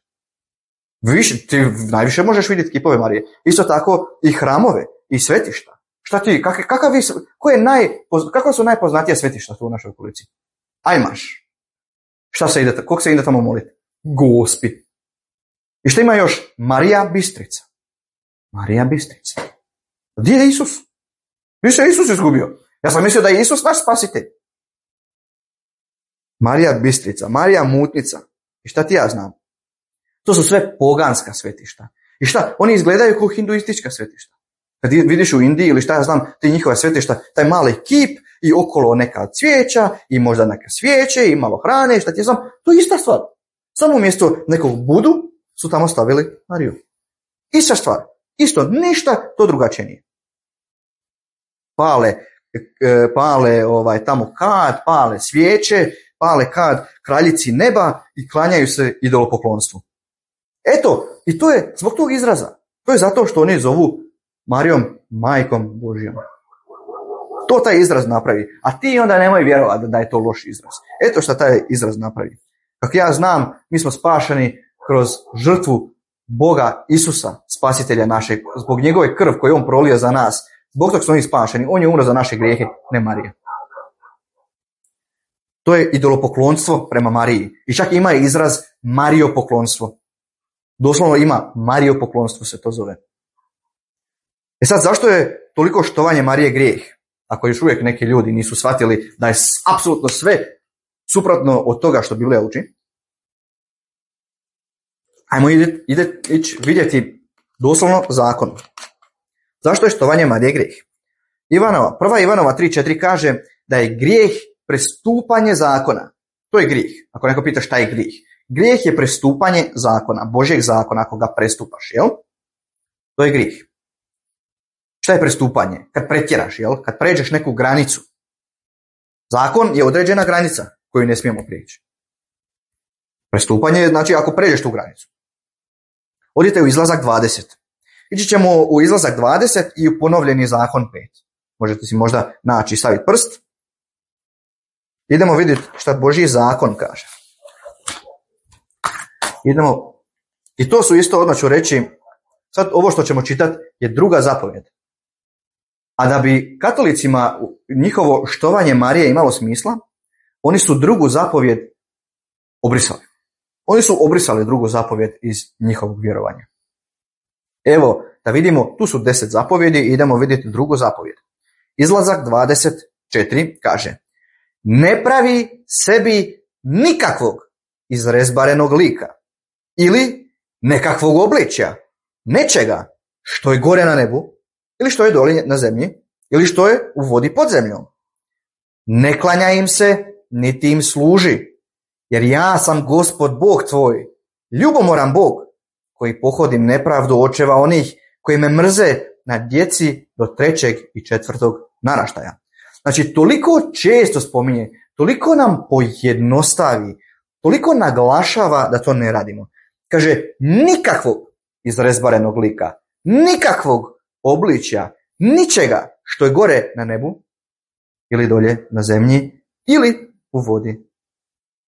Više, ti najviše možeš vidjeti kipove Marije. Isto tako i hramove i svetišta. Šta ti, kak, kakav, ko je naj, kakva su najpoznatija svetišta tu u našoj okolici? Ajmaš. Šta se ide, kog se ide tamo moliti? Gospi. I šta ima još? Marija Bistrica. Marija Bistrica. Gdje je Isus? Gdje se Isus izgubio? Ja sam mislio da je Isus naš spasitelj. Marija Bistrica, Marija Mutnica. I šta ti ja znam? To su sve poganska svetišta. I šta? Oni izgledaju kao hinduistička svetišta. Kad vidiš u Indiji ili šta ja znam, ti njihova svetišta, taj mali kip i okolo neka cvijeća i možda neke svijeće i malo hrane i šta ti ja znam, to je ista stvar. Samo umjesto nekog Budu su tamo stavili Mariju. Ista stvar. Isto, ništa to drugačije nije. Pale, pale ovaj, tamo kad, pale svijeće, pale kad kraljici neba i klanjaju se idolopoklonstvu. Eto, i to je zbog tog izraza. To je zato što oni zovu Marijom Majkom Božjom. To taj izraz napravi. A ti onda nemoj vjerovati da je to loš izraz. Eto što taj izraz napravi. Kako ja znam, mi smo spašeni kroz žrtvu Boga Isusa, spasitelja našeg, zbog njegove krv koju on prolio za nas. Zbog tog smo mi spašeni. On je umro za naše grijehe, ne Marija. To je idolopoklonstvo prema Mariji. I čak ima izraz Marijopoklonstvo. Doslovno ima Marijopoklonstvo se to zove. E sad, zašto je toliko štovanje Marije grijeh? Ako još uvijek neki ljudi nisu shvatili da je apsolutno sve suprotno od toga što Biblija uči. Ajmo ide, ide, ići vidjeti doslovno zakon. Zašto je štovanje Marije grijeh? Ivanova, prva Ivanova tri četiri kaže da je grijeh prestupanje zakona. To je grijeh. Ako neko pita šta je grijeh. Grijeh je prestupanje zakona, Božjeg zakona, ako ga prestupaš, jel? To je grijeh. Šta je prestupanje? Kad pretjeraš, jel? Kad pređeš neku granicu. Zakon je određena granica koju ne smijemo prijeći. Prestupanje je, znači, ako pređeš tu granicu. Odite u izlazak dvadeset. Ići ćemo u izlazak dvadeset i u ponovljeni zakon pet. Možete si možda naći i staviti prst. Idemo vidjeti šta Božji zakon kaže. Idemo, i to su isto, odmah ću reći, sad ovo što ćemo čitati je druga zapovjed. A da bi katolicima njihovo štovanje Marije imalo smisla, oni su drugu zapovjed obrisali. Oni su obrisali drugu zapovjed iz njihovog vjerovanja. Evo, da vidimo, tu su deset zapovjedi i idemo vidjeti drugu zapovjed. Izlazak dvadeset četiri kaže: ne pravi sebi nikakvog izrezbarenog lika ili nekakvog obličja, nečega što je gore na nebu ili što je dole na zemlji ili što je u vodi pod zemljom. Ne klanja im se, niti im služi, jer ja sam Gospod Bog tvoj, ljubomoran Bog, koji pohodim nepravdu očeva onih koji me mrze na djeci do trećeg i četvrtog naraštaja. Znači, toliko često spominje, toliko nam pojednostavi, toliko naglašava da to ne radimo. Kaže, nikakvog izrezbarenog lika, nikakvog obličja, ničega što je gore na nebu ili dolje na zemlji ili u vodi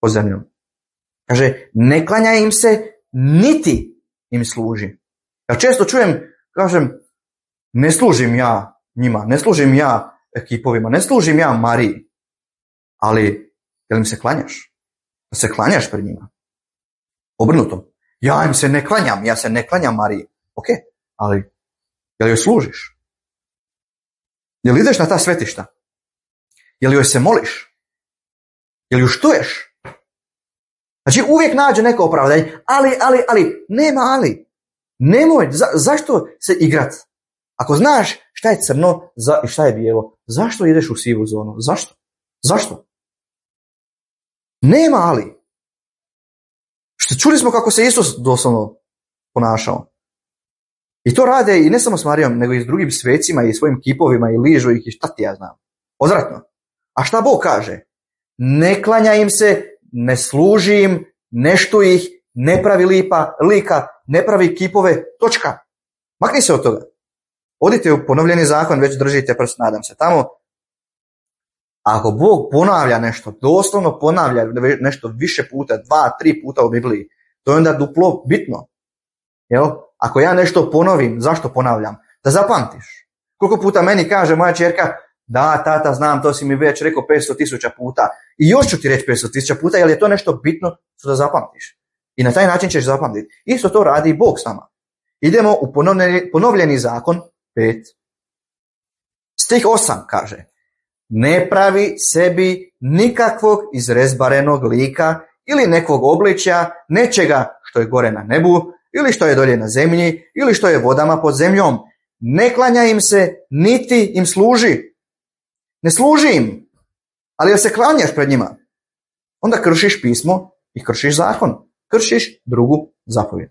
pod zemljom. Kaže, ne klanja im se, niti im služi. Ja često čujem, kažem, ne služim ja njima, ne služim ja ekipovima, ne služim ja Mariji, ali jel im se klanjaš? Da se klanjaš pred njima? Obrnuto. Ja im se ne klanjam, ja se ne klanjam Mariji. Ok, ali jel joj služiš? Jel ideš na ta svetišta? Jel joj se moliš? Jel ju štuješ? Znači uvijek nađe neko opravdanje, ali, ali, ali, nema ali. Nemoj, za, zašto se igrat? Ako znaš šta je crno za, i šta je bijelo, zašto ideš u sivu zonu? Zašto? Zašto? Nema ali. Što čuli smo kako se Isus doslovno ponašao. I to rade i ne samo s Marijom, nego i s drugim svecima i svojim kipovima i ližu ih i šta ti ja znam. Odvratno. A šta Bog kaže? Ne klanja im se, ne služi im, ne štuj ih, ne pravi lipa, lika, ne pravi kipove, točka. Makni se od toga. Odite u ponovljeni zakon, već držite prst, nadam se. Tamo, ako Bog ponavlja nešto, doslovno ponavlja nešto više puta, dva, tri puta u Bibliji, to je onda duplo bitno. Jel? Ako ja nešto ponovim, zašto ponavljam? Da zapamtiš. Koliko puta meni kaže moja ćerka, da, tata, znam, to si mi već rekao petsto tisuća puta. I još ću ti reći petsto tisuća puta, jer je to nešto bitno što da zapamtiš. I na taj način ćeš zapamtiti. Isto to radi i Bog s nama. Idemo u ponovljeni, ponovljeni zakon pet. Stih osam kaže: ne pravi sebi nikakvog izrezbarenog lika ili nekog obličja, nečega što je gore na nebu, ili što je dolje na zemlji, ili što je vodama pod zemljom. Ne klanja im se, niti im služi. Ne služi im, ali da se klanjaš pred njima, onda kršiš pismo i kršiš zakon. Kršiš drugu zapovjed.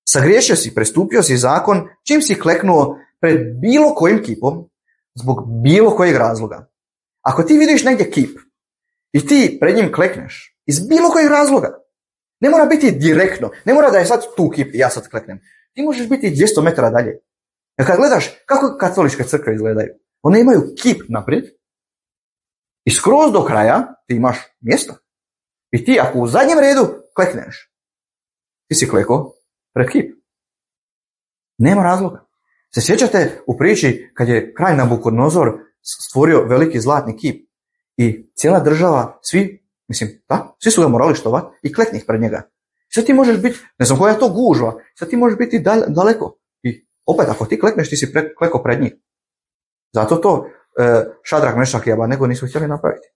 Sagriješio si, prestupio si zakon čim si kleknuo pred bilo kojim kipom zbog bilo kojeg razloga. Ako ti vidiš negdje kip i ti pred njim klekneš iz bilo kojeg razloga, ne mora biti direktno, ne mora da je sad tu kip i ja sad kleknem. Ti možeš biti dvjesto metara dalje. Jer kad gledaš kako katoličke crkve izgledaju, one imaju kip naprijed i skroz do kraja ti imaš mjesto. I ti ako u zadnjem redu klekneš, ti si klekao pred kip. Nema razloga. Se sjećate u priči kad je kralj Nabukodonozor stvorio veliki zlatni kip i cijela država, svi, mislim, da, svi su ga morali štovati i kleknih pred njega. Sad ti možeš biti, ne znam koja je to gužva, sad ti možeš biti daleko. I opet, ako ti klekneš, ti si pre, kleko pred njih. Zato to e, Šadrak, Mešak i Abednego nisu htjeli napraviti.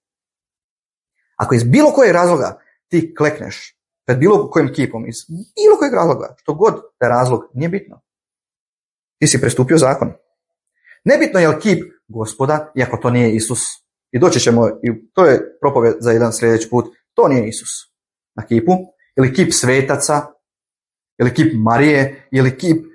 Ako iz bilo kojeg razloga ti klekneš pred bilo kojim kipom, iz bilo kojeg razloga, što god taj razlog, nije bitno. Ti si prestupio zakon. Nebitno je li kip Gospoda, iako to nije Isus. I doći ćemo, i to je propovjed za jedan sljedeći put, to nije Isus na kipu. Ili kip svetaca, ili kip Marije, ili kip,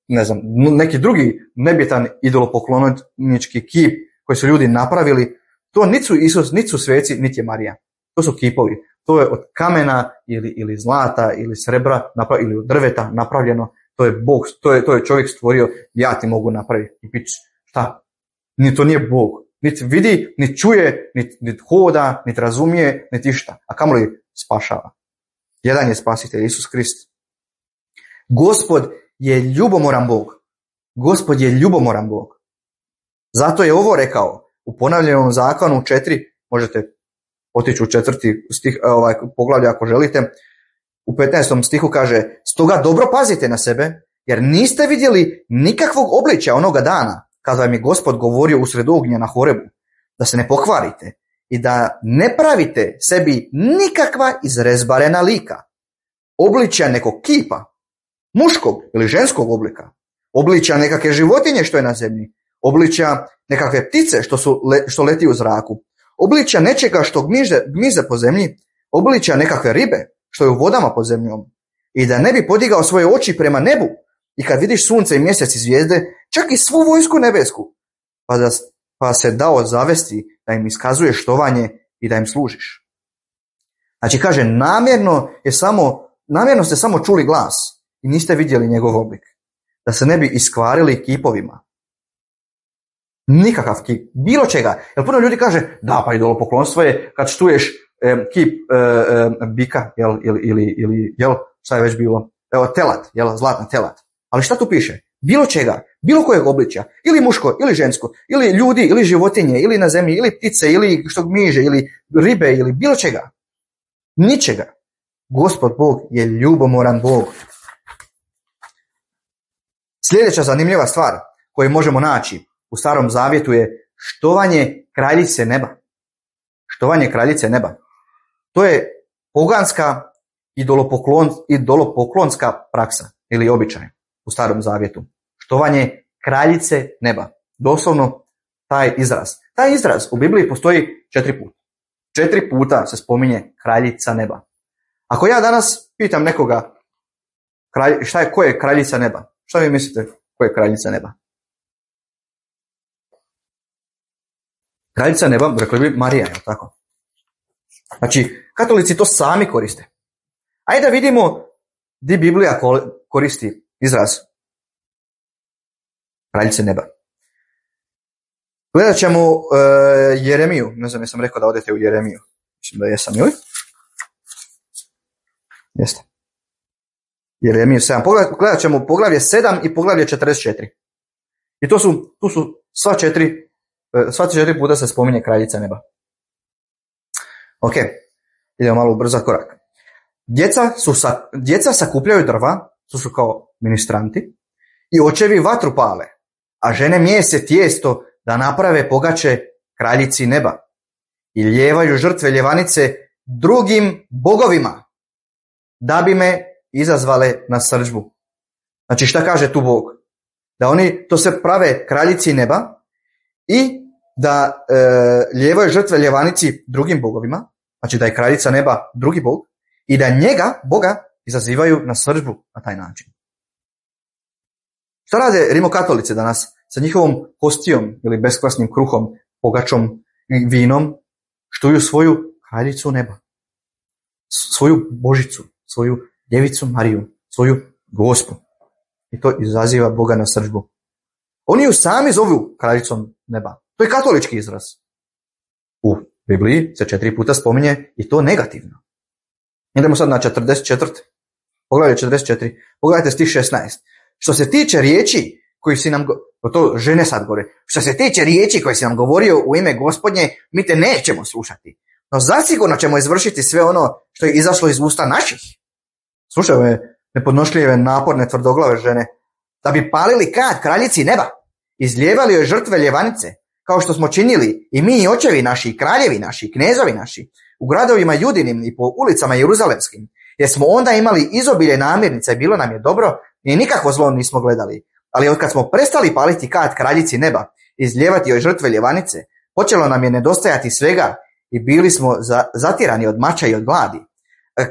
ne znam, neki drugi nebitan idolopoklonički kip koji su ljudi napravili. To niti su Isus, niti su sveci, niti je Marija. To su kipovi. to je od kamena ili, ili zlata ili srebra napra- ili od drveta napravljeno. To je Bog, to je, to je čovjek stvorio, ja ti mogu napraviti i pić. Šta? Ni to nije Bog. Niti vidi, niti čuje, niti, niti hoda, niti razumije, niti išta. A kamoli spašava. Jedan je spasitelj, Isus Krist. Gospod je ljubomoran Bog. Gospod je ljubomoran Bog. Zato je ovo rekao u ponavljenom zakonu četiri, možete otići u četvrti stih, ovaj, poglavlje ako želite. U petnaestom stihu kaže, stoga dobro pazite na sebe, jer niste vidjeli nikakvog obličja onoga dana, kada vam je Gospod govorio usred ognja na Horebu, da se ne pokvarite i da ne pravite sebi nikakva izrezbarena lika, obličja nekog kipa, muškog ili ženskog oblika, obličja nekakve životinje što je na zemlji, obličja nekakve ptice što, su, što leti u zraku, obličja nečega što gmize, gmize po zemlji, obličja nekakve ribe što je u vodama pod zemljom, i da ne bi podigao svoje oči prema nebu i kad vidiš sunce i mjesec i zvijezde, čak i svu vojsku nebesku, pa, da, pa se dao zavesti da im iskazuješ štovanje i da im služiš. Znači kaže, namjerno, je samo, namjerno ste samo čuli glas i niste vidjeli njegov oblik, da se ne bi iskvarili kipovima. Nikakav kip, bilo čega. Jer puno ljudi kaže, da, pa idolopoklonstvo je kad štuješ eh, kip eh, eh, bika, jel, ili, ili, ili jel, šta je već bilo, evo, telat, jel, zlatan telat. Ali šta tu piše? Bilo čega, bilo kojeg obličja, ili muško, ili žensko, ili ljudi, ili životinje, ili na zemlji, ili ptice, ili što gmiže, ili ribe, ili bilo čega. Ničega. Gospod Bog je ljubomoran Bog. Sljedeća zanimljiva stvar koju možemo naći u Starom Zavjetu je štovanje kraljice neba. Štovanje kraljice neba. To je poganska idolopoklon, idolopoklonska praksa ili običaj u Starom Zavjetu. Štovanje kraljice neba. Doslovno taj izraz. Taj izraz u Bibliji postoji četiri puta. Četiri puta se spominje kraljica neba. Ako ja danas pitam nekoga kralj, šta je, ko je kraljica neba? Šta vi mislite ko je kraljica neba? Kraljica neba, rekli bi Marija, je tako? Znači, katolici to sami koriste. Ajde da vidimo gdje Biblija koristi izraz kraljice neba. Gledat ćemo uh, Jeremiju. Ne znam, jesam rekao da odete u Jeremiju. Mislim da jesam, joj? Jeste. Jeremiju sedam. Gledat ćemo poglavlje sedam i poglavlje četrdeset četiri. I to su, tu su sva četiri, sva četiri puta se spominje kraljica neba. Ok, idemo malo ubrzati korak. Djeca, su sa, djeca sakupljaju drva, to su kao ministranti, i očevi vatru pale, a žene mijese tijesto da naprave pogače kraljici neba i lijevaju žrtve ljevanice drugim bogovima, da bi me izazvale na srdžbu. Znači šta kaže tu Bog? Da oni to se prave kraljici neba i da e, lijevaju žrtve ljevanici drugim bogovima, znači da je kraljica neba drugi bog, i da njega, Boga, izazivaju na srdžbu na taj način. Šta rade rimokatolice danas sa njihovom hostijom ili beskvasnim kruhom, pogačom i vinom? Štuju svoju kraljicu neba, svoju Božicu, svoju djevicu Mariju, svoju Gospu. I to izaziva Boga na srdžbu. Oni ju sami zovu kraljicom neba. To je katolički izraz. U Bibliji se četiri puta spominje i to negativno. Idemo sad na četrdeset četiri. Pogledajte četrdeset četiri. Pogledajte stih šesnaest. Što se tiče riječi koji si nam, go... to žene sad govore, što se tiče riječi koje si nam govorio u ime Gospodnje, mi te nećemo slušati. No zasigurno ćemo izvršiti sve ono što je izašlo iz usta naših. Slušaj ove nepodnošljive, naporne, tvrdoglave žene. Da bi palili kad kraljici neba, izlijevali joj žrtve ljevanice, kao što smo činili i mi i očevi naši, i kraljevi naši, i knezovi naši, u gradovima judinim i po ulicama jeruzalemskim, jer smo onda imali izobilje namirnica i bilo nam je dobro i nikakvo zlo nismo gledali. Ali od kad smo prestali paliti kad kraljici neba, izlijevati joj žrtve ljevanice, počelo nam je nedostajati svega i bili smo za, zatirani od mača i od gladi.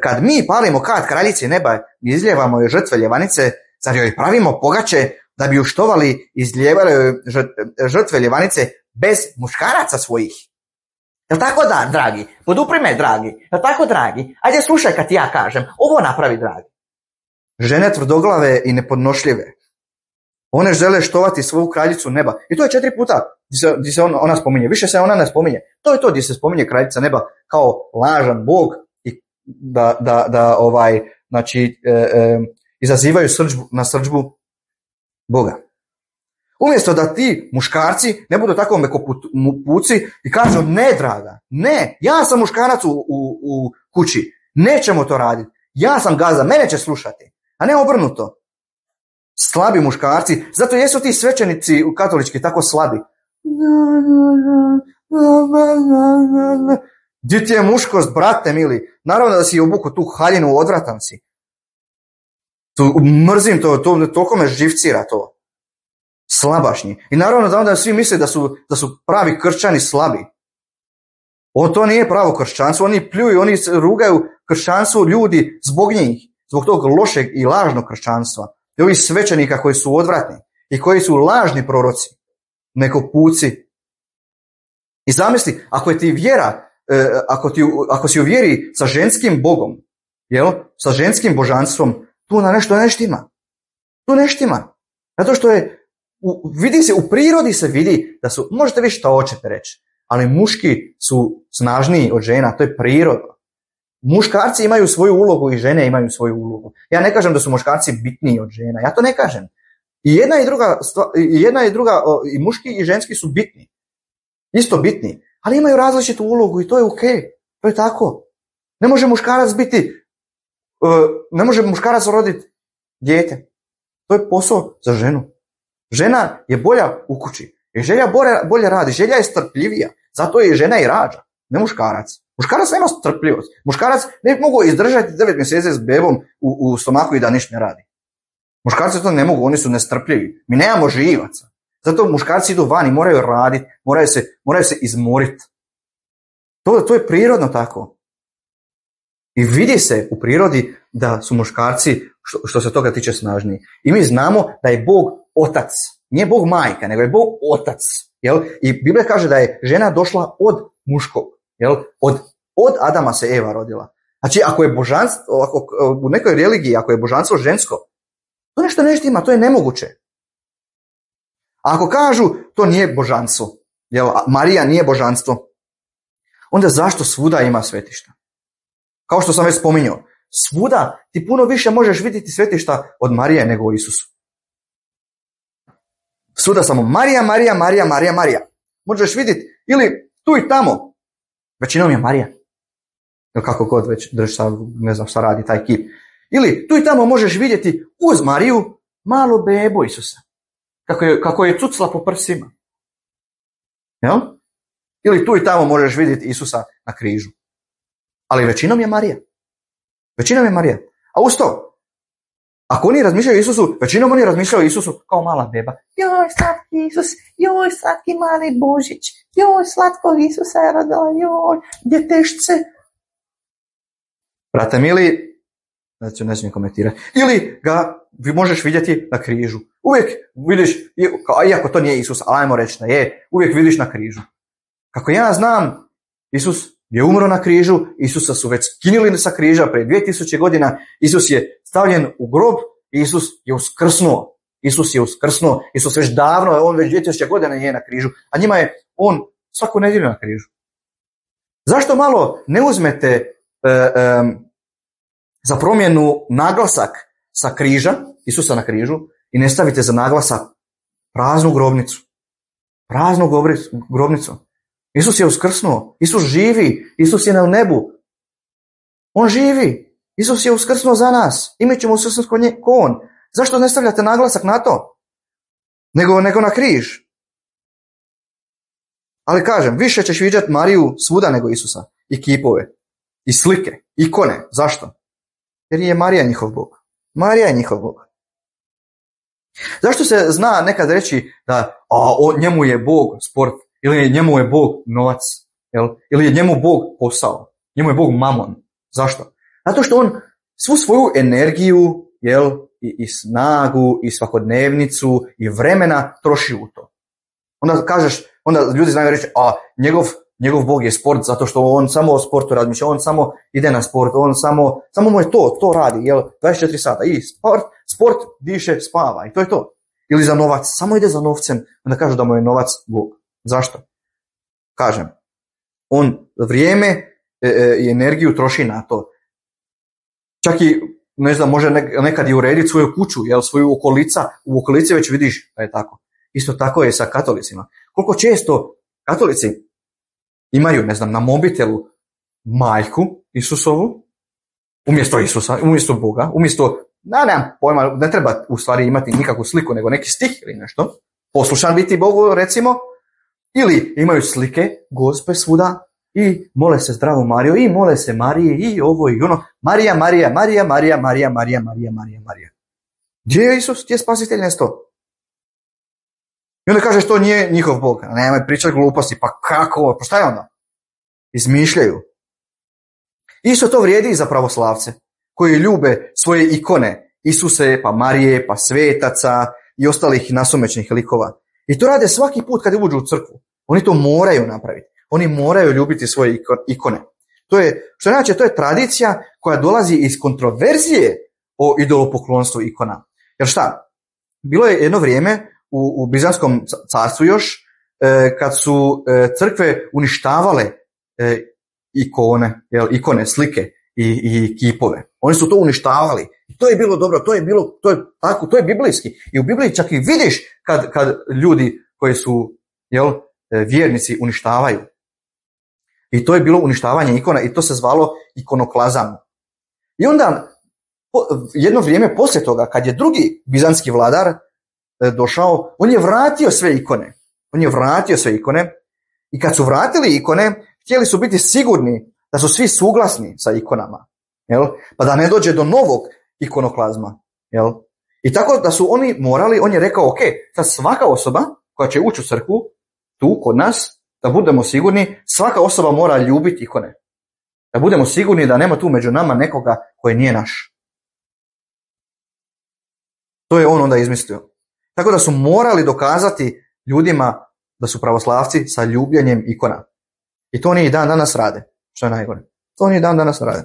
Kad mi palimo kad kraljici neba i izlijevamo joj žrtve ljevanice, zar joj pravimo pogače da bi ju štovali i izlijevali joj žrtve ljevanice bez muškaraca svojih? Jel tako da, dragi? Podupri me, dragi. Jel tako, dragi? Ajde slušaj kad ti ja kažem. Ovo napravi, dragi. Žene tvrdoglave i nepodnošljive. One žele štovati svoju kraljicu neba. I to je četiri puta gdje se, gdje se on, ona spominje. Više se ona ne spominje. To je to gdje se spominje kraljica neba kao lažan bog i da, da, da ovaj, znači, e, e, izazivaju srđbu, na srđbu Boga. Umjesto da ti muškarci ne budu tako mekopuci i kažu ne, draga, ne, ja sam muškarac u, u, u kući, nećemo to raditi, ja sam gazda, mene će slušati, a ne obrnuto. Slabi muškarci, zato jesu ti svećenici u katolički tako slabi. Gdje ti je muškost, brate mili? Naravno da si obuku tu haljinu, odvratan si. Tu, mrzim to, to, toliko me živcira to. Slabašnji. I naravno da onda svi misle da su, da su pravi kršćani slabi. O, to nije pravo kršćanstvo, oni pljuju, oni rugaju kršćanstvo ljudi zbog njih, zbog tog lošeg i lažnog kršćanstva. I ovih svećenika koji su odvratni i koji su lažni proroci, neko puci. I zamisli, ako je ti vjera, eh, ako, ti, ako si u vjeri sa ženskim bogom, jel, sa ženskim božanstvom, tu na nešto ne štima. Tu ne štima. Zato što je, u, vidi se, u prirodi se vidi da su, možete vi što hoćete reći, ali muški su snažniji od žena, to je prirodno. Muškarci imaju svoju ulogu i žene imaju svoju ulogu. Ja ne kažem da su muškarci bitniji od žena, ja to ne kažem. I jedna i druga, i jedna i druga, i muški i ženski su bitni. Isto bitni, ali imaju različitu ulogu i to je okej. Okay. To je tako. Ne može muškarac biti, ne može muškarac roditi dijete. To je posao za ženu. Žena je bolja u kući. I želja bolje, bolje radi. Želja je strpljivija. Zato je žena i rađa, ne muškarac. Muškarac nema strpljivost. Muškarac ne mogu izdržati devet mjeseci s bebom u, u stomaku i da ništa ne radi. Muškarci to ne mogu, oni su nestrpljivi. Mi nemamo živaca. Zato muškarci idu van i moraju raditi, moraju se, moraju se izmoriti. To, to je prirodno tako. I vidi se u prirodi da su muškarci, što, što se toga tiče, snažniji. I mi znamo da je Bog otac. Nije Bog majka, nego je Bog otac. Jel? I Biblija kaže da je žena došla od muškog. Jel? Od, od Adama se Eva rodila. Znači, ako je božanstvo, ako, u nekoj religiji, ako je božanstvo žensko, to nešto ne štima, to je nemoguće. A ako kažu to nije božanstvo, jel, Marija nije božanstvo, onda zašto svuda ima svetišta? Kao što sam već spominjao, svuda ti puno više možeš vidjeti svetišta od Marije nego o Isusu. Svuda samo Marija, Marija, Marija, Marija, Marija. Možeš vidjeti ili tu i tamo. Većinom je Marija. Ili kako god već, ne znam šta radi taj kip. Ili tu i tamo možeš vidjeti uz Mariju malo bebu Isusa. Kako je, kako je cucla po prsima. Jel? Ili tu i tamo možeš vidjeti Isusa na križu. Ali većinom je Marija. Većinom je Marija. A uz to, ako oni razmišljaju o Isusu, većinom oni razmišljaju o Isusu kao mala beba. Joj, slatki Isus, joj, slatki mali Božić, joj, slatkog Isusa je rodila, joj, djetešce. Brate mili, znači ne smijem komentirati. Ili ga možeš vidjeti na križu. Uvijek vidiš, iako to nije Isus, ali ajmo reći da je, uvijek vidiš na križu. Kako ja znam, Isus je umro na križu, Isusa su već skinuli sa križa prije dvije tisuće godina, Isus je stavljen u grob, Isus je uskrsnuo. Isus je uskrsnuo, Isus već davno, on već dvije tisuće godina je na križu, a njima je on svaku nedjelju na križu. Zašto malo ne uzmete e, e, za promjenu naglasak sa križa, Isusa na križu, i ne stavite za naglasak praznu grobnicu. Praznu grobnicu. Isus je uskrsnuo, Isus živi, Isus je na nebu. On živi, Isus je uskrsnuo za nas i mi ćemo uskrsnuti ko on. Zašto ne stavljate naglasak na to? Nego, nego na križ. Ali kažem, više ćeš vidjeti Mariju svuda nego Isusa. I kipove, i slike, ikone. Zašto? Jer je Marija njihov Bog. Marija je njihov Bog. Zašto se zna nekad reći da a, o, njemu je Bog sport, ili njemu je Bog novac, jel? Ili je njemu Bog posao, njemu je Bog mamon. Zašto? Zato što on svu svoju energiju, jel, i, i snagu, i svakodnevnicu, i vremena troši u to. Onda kažeš, onda ljudi znaju reći, a njegov, njegov Bog je sport zato što on samo o sportu razmišlja, on samo ide na sport, on samo, samo mu je to, to radi, jel, dvadeset četiri sata i sport, sport, diše, spava i to je to. Ili za novac, samo ide za novcem, onda kažu da mu je novac Bog. Zašto? Kažem, on vrijeme e, i energiju troši na to. Čak i, ne znam, može nekad i urediti svoju kuću, jel, svoju okolica, u okolici već vidiš da je tako. Isto tako je sa katolicima. Koliko često katolici imaju, ne znam, na mobitelu majku Isusovu, umjesto Isusa, umjesto Boga, umjesto, da, nemam pojma, ne treba u stvari imati nikakvu sliku, nego neki stih ili nešto, poslušan biti Bogu, recimo, ili imaju slike Gospe svuda i mole se zdravu Mariju, i mole se Mariji, i ovo i ono, Marija, Marija, Marija, Marija, Marija, Marija, Marija, Marija, Marija. Gdje je Isus? Gdje je spasitelj nesto? I onda kažeš to nije njihov Bog. A nemoj pričati gluposti. Pa kako? Pa šta je onda? Izmišljaju. Isto to vrijedi i za pravoslavce koji ljube svoje ikone. Isuse, pa Marije, pa svetaca i ostalih nasumičnih likova. I to rade svaki put kad uđu u crkvu. Oni to moraju napraviti. Oni moraju ljubiti svoje ikone. To je, što znači, to je tradicija koja dolazi iz kontroverzije o idolopoklonstvu ikona. Jer šta? Bilo je jedno vrijeme u, u Bizanskom carstvu još, e, kad su e, crkve uništavale e, ikone, jel, ikone, slike i, i kipove. Oni su to uništavali. I to je bilo dobro, to je bilo, to je tako, to je biblijski. I u Bibliji čak i vidiš kad, kad ljudi koji su, jel, vjernici uništavaju. I to je bilo uništavanje ikona i to se zvalo ikonoklazam. I onda jedno vrijeme poslije toga, kad je drugi bizanski vladar došao, on je vratio sve ikone. On je vratio sve ikone i kad su vratili ikone, htjeli su biti sigurni da su svi suglasni sa ikonama. Jel? Pa da ne dođe do novog ikonoklazma. Jel? I tako da su oni morali, on je rekao, ok, sad svaka osoba koja će ući u crkvu, tu kod nas, da budemo sigurni, svaka osoba mora ljubiti ikone. Da budemo sigurni da nema tu među nama nekoga koji nije naš. To je on onda izmislio. Tako da su morali dokazati ljudima da su pravoslavci sa ljubljenjem ikona. I to oni i dan danas rade. Što je najgore. To oni i dan danas rade.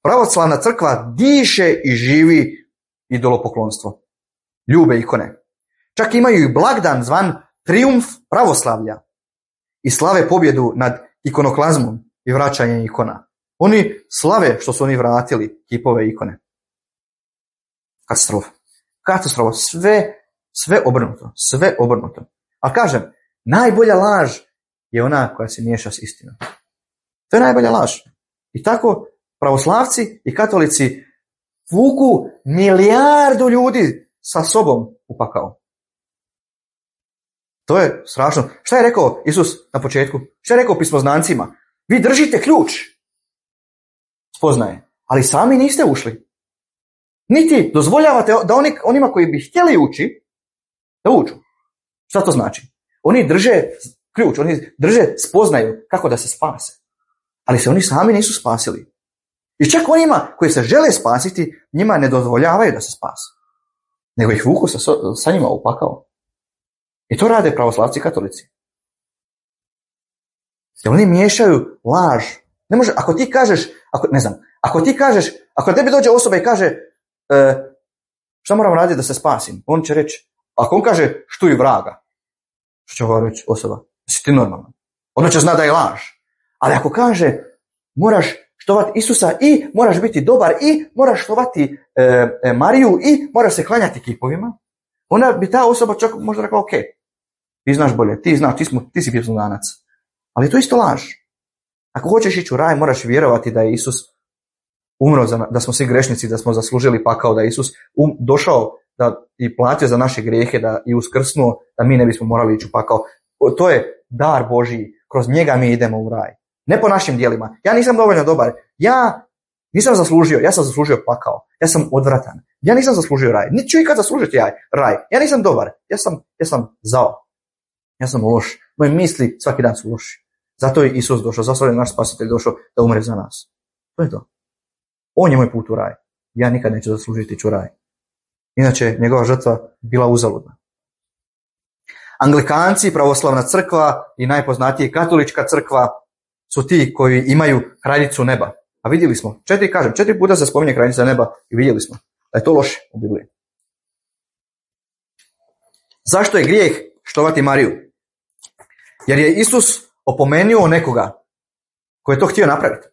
Pravoslavna crkva diše i živi idolopoklonstvo. Ljube ikone. Čak imaju i blagdan zvan Trijumf pravoslavlja. I slave pobjedu nad ikonoklazmom i vraćanjem ikona. Oni slave što su oni vratili kipove ikone. Katastrofa. Katastrofa. Sve, sve obrnuto. Sve obrnuto. A kažem, najbolja laž je ona koja se miješa s istinom. To je najbolja laž. I tako pravoslavci i katolici vuku milijardu ljudi sa sobom u pakao. To je strašno. Šta je rekao Isus na početku? Šta je rekao pismoznancima? Vi držite ključ spoznaje, ali sami niste ušli. Niti dozvoljavate da oni, onima koji bi htjeli ući, da uđu. Šta to znači? Oni drže ključ, oni drže spoznaju kako da se spase. Ali se oni sami nisu spasili. I čak onima koji se žele spasiti, njima ne dozvoljavaju da se spase. Nego ih vuku sa, sa njima u pakao. I to rade pravoslavci i katolici. Jer oni miješaju laž. Ne može, ako ti kažeš, ako, ne znam, ako ti kažeš, ako tebi dođe osoba i kaže, e, šta moram raditi da se spasim? On će reći, ako on kaže, štuj vraga, što će ovo reći osoba? Si ti normalan. Ono će zna da je laž. Ali ako kaže, moraš štovati Isusa i moraš biti dobar i moraš štovati e, e, Mariju i moraš se klanjati kipovima, onda bi ta osoba čak možda rekla, ok, ti znaš bolje, ti znaš, ti, smo, ti si pismoznanac. Ali to je isto laž. Ako hoćeš ići u raj, moraš vjerovati da je Isus umro, za, da smo svi grešnici, da smo zaslužili pakao, da je Isus um, došao da i platio za naše grijehe, da i uskrsnuo, da mi ne bismo morali ići u pakao. To je dar Božiji, kroz njega mi idemo u raj. Ne po našim djelima. Ja nisam dovoljno dobar. Ja nisam zaslužio, ja sam zaslužio pakao. Ja sam odvratan. Ja nisam zaslužio raj. Niti ću ikad zaslužiti ja, raj. Ja nisam dobar. Ja sam, ja sam zao. Ja sam loš. Moje misli svaki dan su loši. Zato je Isus došao, zato je naš spasitelj došao da umre za nas. To je to. On je moj put u raj. Ja nikad neću zaslužiti ću raj. Inače, njegova žrtva bila uzaludna. Anglikanci, pravoslavna crkva i najpoznatije katolička crkva su ti koji imaju kraljicu neba. A vidjeli smo, četiri, kažem, četiri puta se spominje kraljica neba i vidjeli smo da je to loše u Bibliji. Zašto je grijeh štovati Mariju? Jer je Isus opomenuo nekoga koji je to htio napraviti.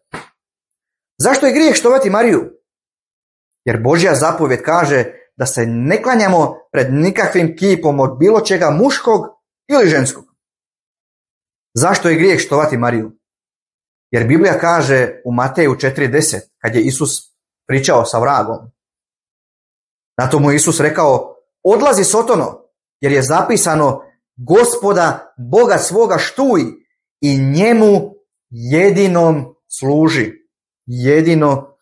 Zašto je grijeh štovati Mariju? Jer Božja zapovjed kaže da se ne klanjamo pred nikakvim kipom od bilo čega muškog ili ženskog. Zašto je grijeh štovati Mariju? Jer Biblija kaže u Mateju četiri deset, kad je Isus pričao sa vragom, na to mu je Isus rekao, odlazi Sotono, jer je zapisano, Gospoda Boga svoga štuj i njemu jedinom služi. Jedino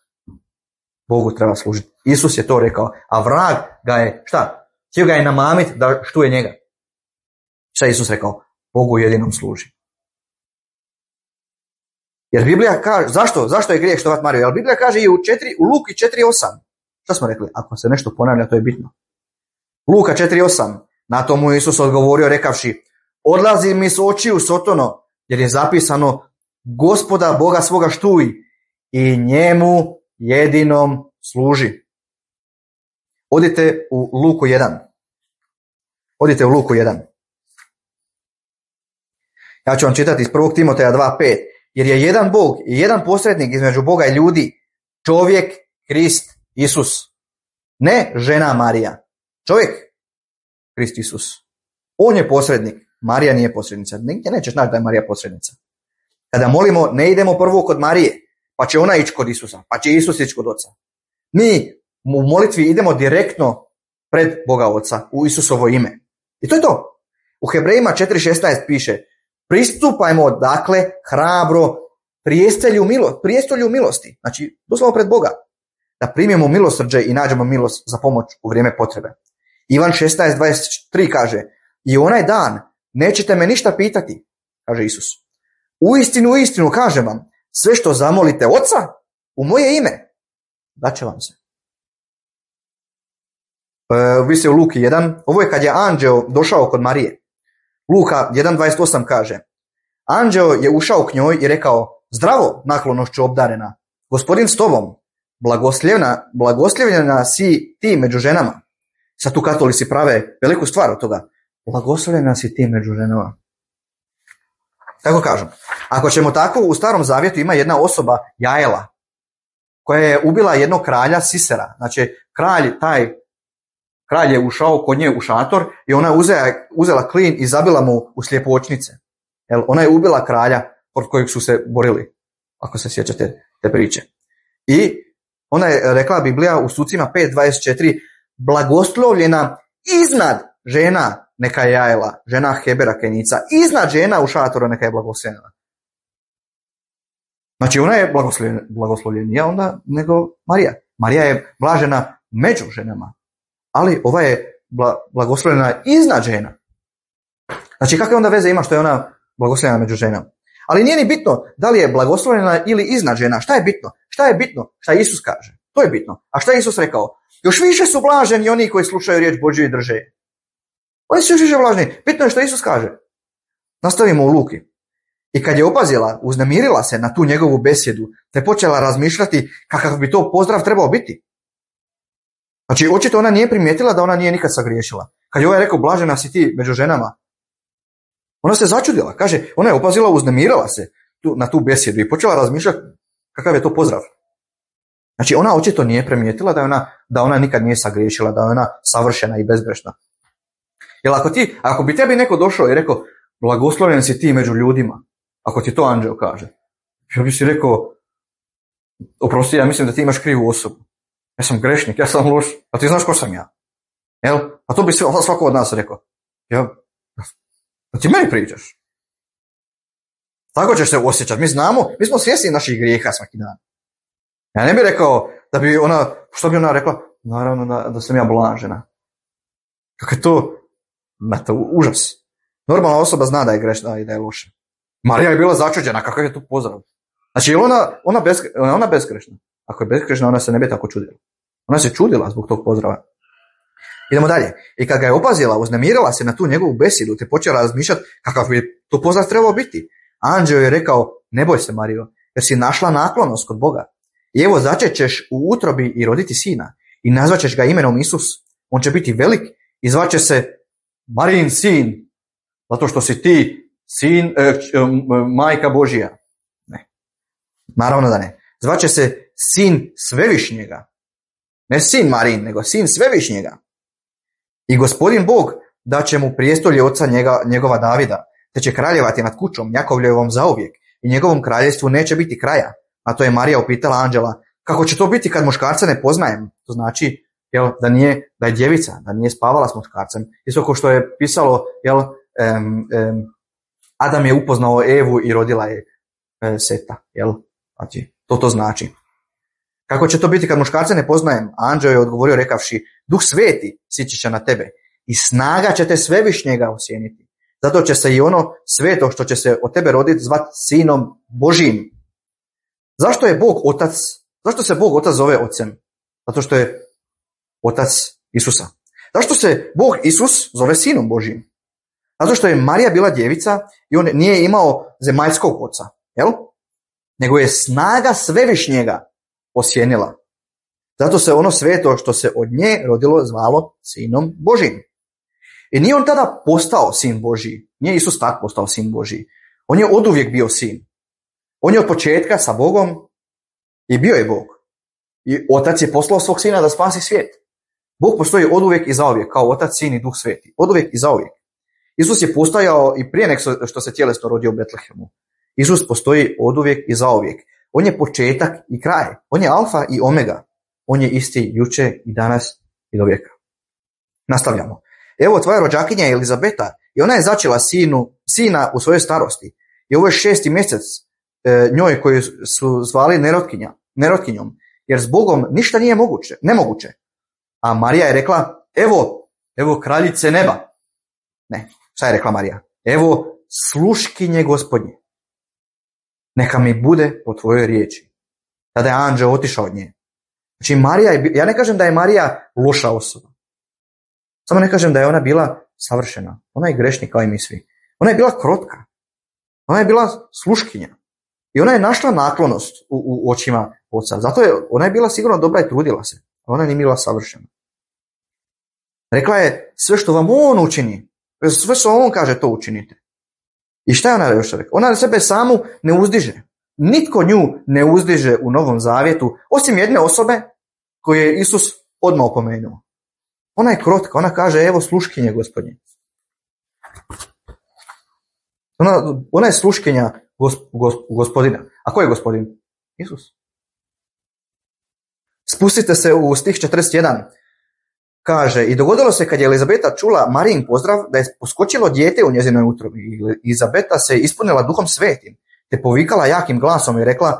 Bogu treba služiti. Isus je to rekao, a vrag ga je, šta? Htio ga je namamiti da štuje njega. Šta je Isus rekao? Bogu jedinom služi. Jer Biblija kaže, zašto? Zašto je grijeh štovati Mariju? Jer Biblija kaže i u, četiri, u Luki četiri osam. Šta smo rekli? Ako se nešto ponavlja, to je bitno. Luka četiri osam. Na to mu Isus odgovorio rekavši, odlazi mi s očiju Sotono, jer je zapisano, Gospoda Boga svoga štuj i njemu jedinom služi. Odite u Luku jedan. Odite u Luku jedan. Ja ću vam čitati iz prvog Timoteja dva pet. Jer je jedan Bog i jedan posrednik između Boga i ljudi, čovjek Krist Isus. Ne žena Marija. Čovjek Krist Isus. On je posrednik. Marija nije posrednica. Nigdje nećeš naći da je Marija posrednica. Kada molimo, ne idemo prvo kod Marije, pa će ona ići kod Isusa, pa će Isus ići kod Oca. Mi u molitvi idemo direktno pred Boga Oca, u Isusovo ime. I to je to. U Hebrejima četiri šesnaest piše, pristupajmo dakle hrabro prijestolju milo, prijestolju milosti, znači doslovno pred Boga, da primimo milosrđe i nađemo milost za pomoć u vrijeme potrebe. Ivan šesnaest dvadeset tri kaže, i onaj dan nećete me ništa pitati, kaže Isus. Uistinu, uistinu kažem vam, sve što zamolite Oca u moje ime, daće vam se. E, vi se u Luki jedan, ovo je kad je anđeo došao kod Marije. Luka jedan dvadeset osam kaže, anđeo je ušao k njoj i rekao, zdravo, naklonošću obdarena, Gospodin s tobom, blagoslivljena, blagoslivljena si ti među ženama. Sad tu katolici prave veliku stvar od toga. Blagoslovljena si ti među ženama. Tako kažem. Ako ćemo tako, u Starom Zavjetu ima jedna osoba, Jaela, koja je ubila jednog kralja Sisera. Znači, kralj, taj kralj je ušao kod nje u šator i ona je uzela, uzela klin i zabila mu u slijepočnice. Jel, ona je ubila kralja pod kojeg su se borili, ako se sjećate te priče. I ona je rekla Biblija u Sucima pet dvadeset četiri, blagoslovljena iznad žena neka je Jaela, žena Hebera Kenica, iznad žena u šatoru neka je blagoslovljena. Znači ona je blagoslovljenija onda nego Marija. Marija je blažena među ženama, ali ova je blagoslovljena iznad žena. Znači kakve onda veze ima što je ona blagoslovljena među ženama? Ali nije ni bitno da li je blagoslovljena ili iznad žena. Šta je bitno? Šta je bitno? Šta Isus kaže? To je bitno. A šta je Isus rekao? Još više su blaženi oni koji slušaju riječ Božju i drže. Oni su još više blaženi. Bitno je što Isus kaže. Nastavimo u Luki. I kad je opazila, uznemirila se na tu njegovu besjedu, te počela razmišljati kakav bi to pozdrav trebao biti. Znači, očito ona nije primijetila da ona nije nikad sagriješila. Kad je ovaj rekao, blažena si ti među ženama, ona se začudila. Kaže, ona je opazila, uznemirila se tu, na tu besjedu i počela razmišljati kakav je to pozdrav. Znači, ona očito nije primijetila da ona, da ona nikad nije sagriješila, da je ona savršena i bezgrešna. Jer ako ti, ako bi tebi neko došao i rekao, blagoslovljen si ti među ljudima, ako ti to anđeo kaže, ja bi si rekao, oprosti, ja mislim da ti imaš krivu osobu. Ja sam grešnik, ja sam loš, a ti znaš ko sam ja. Jel? A to bi svako od nas rekao. Ja, da ti meni pričaš. Tako ćeš se osjećati. Mi znamo, mi smo svjesni naših grijeha svaki dan. Ja ne bih rekao da bi ona, što bi ona rekla? Naravno da, da sam ja blažena. Kako je to? Na to užas. Normalna osoba zna da je grešna i da je loša. Marija je bila začuđena, kakav je to pozdrav. Znači, je ona, ona, bez, ona bezgrešna. Ako je bezgrešna, ona se ne bi tako čudila. Ona se čudila zbog tog pozdrava. Idemo dalje. I kad ga je opazila, uznemirila se na tu njegovu besedu, te počela razmišljati kakav bi to pozdrav trebao biti. Anđeo je rekao, ne boj se, Marijo, jer si našla naklonost kod Boga. I evo, začećeš u utrobi i roditi sina i nazvaćeš ga imenom Isus. On će biti velik i zvaće se Marijin sin, zato što si ti sin, e, majka Božija. Ne, naravno da ne. Zvaće se sin Svevišnjega. Ne sin Marijin, nego sin Svevišnjega. I Gospodin Bog da će mu prijestolje oca njega, njegova Davida, te će kraljevati nad kućom Jakovljevom zauvijek i njegovom kraljevstvu neće biti kraja. A to je Marija upitala anđela, kako će to biti kad muškarca ne poznajem? To znači jel, da, nije, da je djevica, da nije spavala s muškarcem. Isto kao što je pisalo, jel, um, um, Adam je upoznao Evu i rodila je e, Seta. Jel? Znači, to to znači. Kako će to biti kad muškarca ne poznajem? Anđeo je odgovorio rekavši, Duh Sveti sići će na tebe i snaga će te Svevišnjega osjeniti. Zato će se i ono sveto što će se od tebe roditi zvat Sinom Božijim. Zašto je Bog Otac? Zašto se Bog Otac zove Ocem? Zato što je Otac Isusa. Zašto se Bog Isus zove Sinom Božijim? Zato što je Marija bila djevica i on nije imao zemaljskog oca, jel? Nego je snaga Svevišnjega osjenila. Zato se ono sveto što se od nje rodilo zvalo Sinom Božijim. I nije on tada postao sin Božiji. Nije Isus tak postao sin Božiji. On je oduvijek bio sin. On je od početka sa Bogom i bio je Bog. I Otac je poslao svog sina da spasi svijet. Bog postoji oduvijek i zauvijek kao Otac, Sin i Duh Sveti. Oduvijek i zauvijek. Isus je postojao i prije nego što se tjelesno rodio u Betlehemu. Isus postoji oduvijek i zauvijek. On je početak i kraj. On je alfa i omega. On je isti jučer i danas i do vijeka. Nastavljamo. Evo tvoja rođakinja je Elizabeta i ona je začela sinu, sina u svojoj starosti. I ovo je šesti mjesec e, njoj koju su zvali nerotkinja, nerotkinjom, jer s Bogom ništa nije moguće, nemoguće. A Marija je rekla, evo, evo kraljice neba. Ne, šta je rekla Marija? Evo sluškinje Gospodnje. Neka mi bude po tvojoj riječi. Tada je anđeo otišao od nje. Znači Marija je, ja ne kažem da je Marija loša osoba. Samo ne kažem da je ona bila savršena. Ona je grešnik kao i mi svi. Ona je bila krotka. Ona je bila sluškinja. I ona je našla naklonost u, u očima oca. Zato je, ona je bila sigurno dobra i trudila se. Ona nije bila savršena. Rekla je, sve što vam on učini, sve što on kaže, to učinite. I šta je ona još rekla? Ona sebe samu ne uzdiže. Nitko nju ne uzdiže u Novom Zavjetu, osim jedne osobe koju je Isus odmah opomenuo. Ona je krotka, ona kaže, evo sluškinje Gospodnje. Ona, ona je sluškinja gosp, gosp, Gospodina. A ko je Gospodin? Isus. Spustite se u stih četrdeset jedan. Kaže, i dogodilo se kad je Elizabeta čula Marijin pozdrav, da je poskočilo dijete u njezinoj utrobi. Elizabeta se ispunila Duhom Svetim, te povikala jakim glasom i rekla,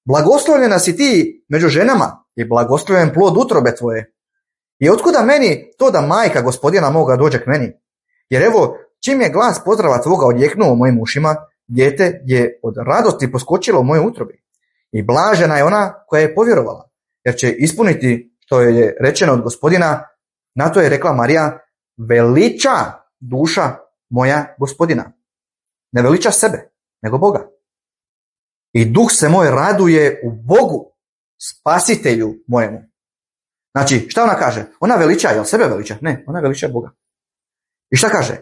blagoslovljena si ti među ženama i blagoslovljen plod utrobe tvoje. I otkuda meni to da majka Gospodina moga dođe k meni? Jer evo, čim je glas pozdrava tvoga odjeknuo u mojim ušima, dijete je od radosti poskočilo u mojoj utrobi. I blažena je ona koja je povjerovala, jer će ispuniti što je rečeno od Gospodina. Na to je rekla Marija, veliča duša moja Gospodina. Ne veliča sebe, nego Boga. I duh se moj raduje u Bogu, spasitelju mojemu. Znači, šta ona kaže? Ona veliča, jel sebe veliča? Ne, ona veliča Boga. I šta kaže?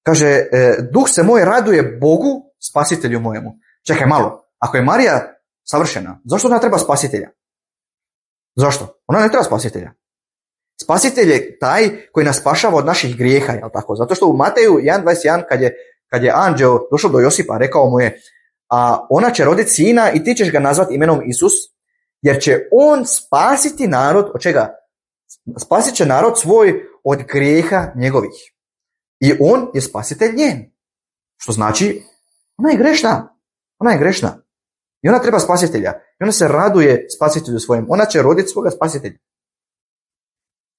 Kaže, e, duh se moj raduje Bogu, spasitelju mojemu. Čekaj malo, ako je Marija savršena, zašto ona treba spasitelja? Zašto? Ona ne treba spasitelja. Spasitelj je taj koji nas spašava od naših grijeha, jel tako? Zato što u Mateju jedan dvadeset jedan kad je, kad je anđeo došao do Josipa, rekao mu je, a ona će roditi sina i ti ćeš ga nazvati imenom Isus, jer će on spasiti narod, od čega? Spasit će narod svoj od grijeha njegovih. I on je spasitelj njen. Što znači, ona je grešna. Ona je grešna. I ona treba spasitelja. I ona se raduje spasitelju svojem. Ona će roditi svoga spasitelja.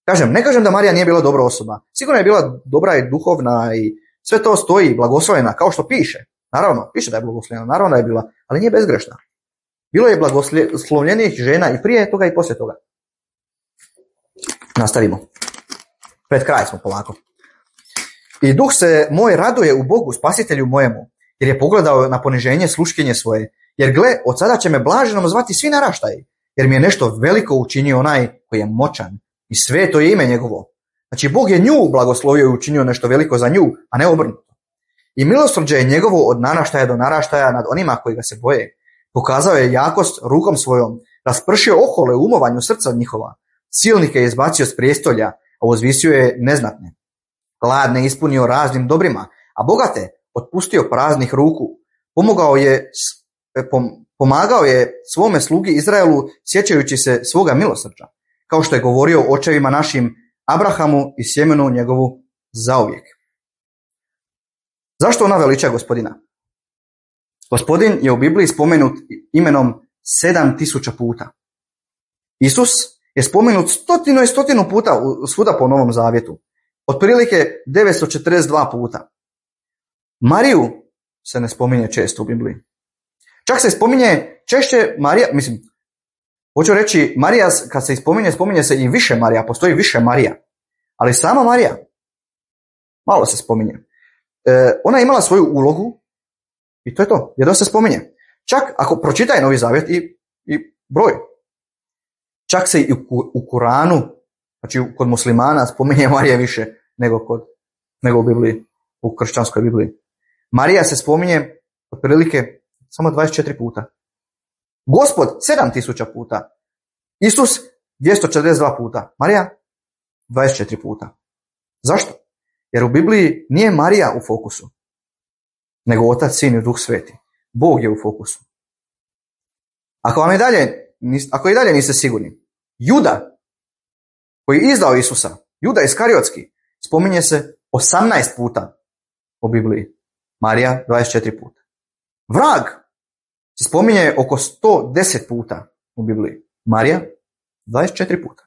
Kažem, ne kažem da Marija nije bila dobra osoba. Sigurno je bila dobra i duhovna i sve to stoji, blagoslovljena, kao što piše. Naravno, piše da je blagoslovljena, naravno da je bila, ali nije bezgrešna. Bilo je blagoslovljenih žena i prije toga i poslije toga. Nastavimo. Pred kraj smo polako. I duh se moj raduje u Bogu, spasitelju mojemu, jer je pogledao na poniženje sluškinje svoje. Jer gle, od sada će me blaženom zvati svi naraštaji, jer mi je nešto veliko učinio onaj koji je moćan i sveto je ime njegovo. Znači, Bog je nju blagoslovio i učinio nešto veliko za nju, a ne obrnuto. I milosrđe je njegovo od naraštaja do naraštaja nad onima koji ga se boje. Pokazao je jakost rukom svojom, raspršio ohole u umovanju srca njihova. Silnike je izbacio s prijestolja, a uzvisio je neznatne. Gladne ispunio raznim dobrima, a bogate otpustio praznih ruku. Pomogao je, pomagao je svome slugi Izraelu sjećajući se svoga milosrđa, kao što je govorio očevima našim Abrahamu i sjemenu njegovu zauvijek. Zašto ona veliča Gospodina? Gospodin je u Bibliji spomenut imenom sedam tisuća puta. Isus je spomenut stotinu i stotinu puta svuda po Novom Zavjetu. Otprilike devetsto četrdeset dva puta. Mariju se ne spominje često u Bibliji. Čak se spominje češće Marija, mislim, hoću reći, Marija, kad se spominje, spominje se i više Marija, postoji više Marija. Ali sama Marija, malo se spominje. E, ona je imala svoju ulogu i to je to, jedno se spominje. Čak ako pročitaj Novi Zavjet i, i broj. Čak se i u, u Kuranu, znači kod muslimana spominje Marija više nego, kod, nego u Bibliji, u kršćanskoj Bibliji. Marija se spominje otprilike samo dvadeset četiri puta. Gospod sedam tisuća puta. Isus dvjesto četrdeset dva puta. Marija dvadeset četiri puta. Zašto? Jer u Bibliji nije Marija u fokusu, nego Otac, Sin i Duh Sveti. Bog je u fokusu. Ako vam i dalje, ako i dalje niste sigurni, Juda, koji je izdao Isusa, Juda Iskariotski, spominje se osamnaest puta u Bibliji. Marija dvadeset četiri puta. Vrag se spominje oko sto deset puta u Bibliji. Marija dvadeset četiri puta.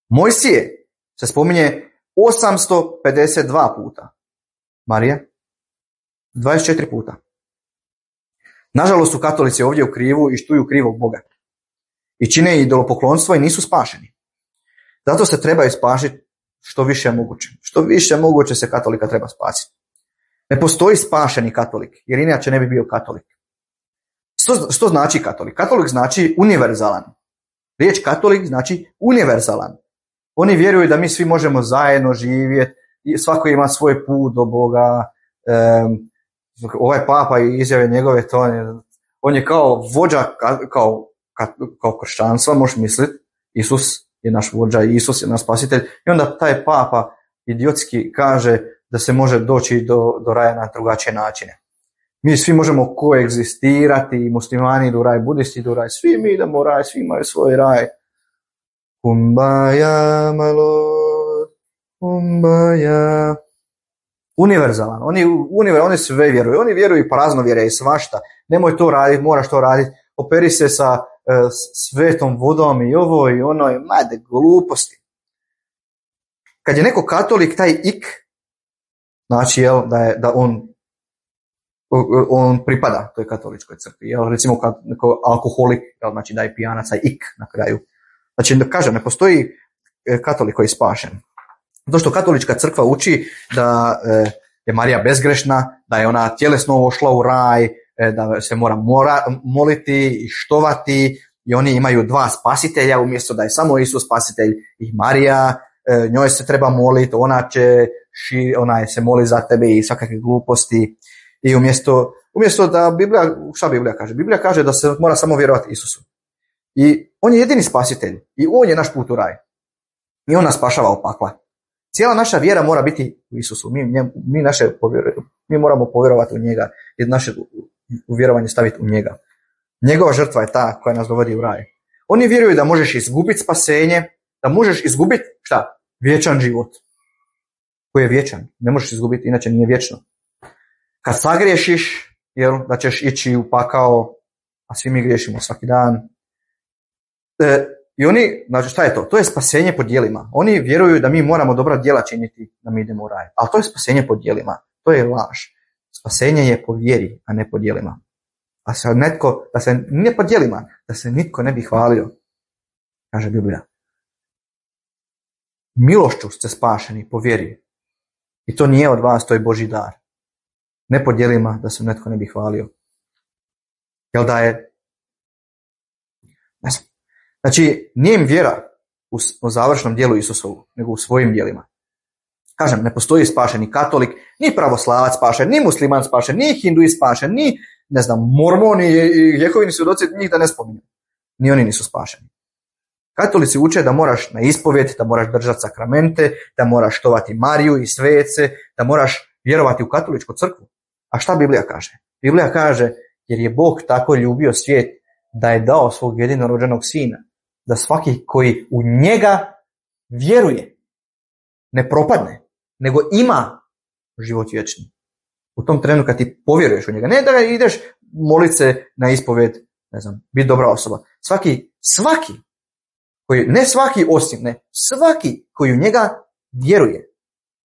Mojsije se spominje osamsto pedeset dva puta. Marija dvadeset četiri puta. Nažalost su katolici ovdje u krivu i štuju krivog Boga. I čine idolopoklonstvo i nisu spašeni. Zato se trebaju spašiti što više moguće. Što više moguće se katolika treba spasiti. Ne postoji spašeni katolik, jer inače ne bi bio katolik. Što, što znači katolik? Katolik znači univerzalan. Riječ katolik znači univerzalan. Oni vjeruju da mi svi možemo zajedno živjeti, svako ima svoj put do Boga. Um, ovaj papa i izjave njegove, to on je, on je kao vođa, kao, kao kršćanstva, možeš misliti. Isus je naš vođa, Isus je naš spasitelj. I onda taj papa idiotski kaže da se može doći do, do raja na drugačije načine. Mi svi možemo koegzistirati, muslimani idu u raj, budisti idu u raj, svi mi idemo u raj, svi imaju svoj raj. Kumbaya, my lord, kumbaya. Univerzalan, oni, univer, oni sve vjeruju, oni vjeruju prazno vjere i svašta. Nemoj to raditi, moraš to raditi, operi se sa uh, svetom vodom i ovo i ono, i made gluposti. Kad je neko katolik, taj ik, znači jel, da, je, da on, on pripada toj katoličkoj crkvi. Jel, recimo kad neko alkoholik, jel, znači da je pijanac, taj ik na kraju. Znači, da kažem, ne postoji katolik koji je spašen. Zato što katolička crkva uči da e, je Marija bezgrešna, da je ona tjelesno ošla u raj, e, da se mora, mora moliti i štovati i oni imaju dva spasitelja umjesto da je samo Isus spasitelj i Marija, e, njoj se treba moliti, ona će ši, ona se moli za tebe i svakakve gluposti i umjesto, umjesto da Biblija, šta Biblija kaže? Biblija kaže da se mora samo vjerovati Isusu. I on je jedini spasitelj i on je naš put u raj. I on nas spašava od pakla. Cijela naša vjera mora biti u Isusu. Mi, mi, naše mi moramo povjerovati u njega i naše uvjerovanje staviti u njega. Njegova žrtva je ta koja nas dovodi u raj. Oni vjeruju da možeš izgubiti spasenje, da možeš izgubiti šta? Vječan život. Koji je vječan. Ne možeš izgubiti, inače nije vječno. Kad sagriješiš, jel, da ćeš ići u pakao, a svi mi griješimo svaki dan. E, I oni, znači šta je to? To je spasenje po djelima. Oni vjeruju da mi moramo dobra djela činiti da mi idemo u raj. Ali to je spasenje po djelima. To je laž. Spasenje je po vjeri, a ne po djelima. A se netko, da se ne po djelima, da se nitko ne bi hvalio, kaže Biblija. Milošću ste spašeni po vjeri. I to nije od vas, to je Božji dar. Ne po djelima da se netko ne bi hvalio. Jel da je? Ne znam. Znači, nije im vjera u, u završnom dijelu Isusovu, nego u svojim djelima. Kažem, ne postoji spašen ni katolik, ni pravoslavac spašen, ni musliman spašen, ni hinduist spašen, ni, ne znam, mormoni i Jehovini svjedoci, njih da ne spominju. Ni oni nisu spašeni. Katolici uče da moraš na ispovjed, da moraš držati sakramente, da moraš štovati Mariju i svece, da moraš vjerovati u katoličku crkvu. A šta Biblija kaže? Biblija kaže, jer je Bog tako ljubio svijet da je dao svog jedinorođenog sina, da svaki koji u njega vjeruje ne propadne, nego ima život vječni. U tom trenu kad ti povjeruješ u njega, ne da ideš molit se na ispovjed, ne znam, biti dobra osoba. Svaki, svaki, koji, ne svaki osim, ne, svaki koji u njega vjeruje,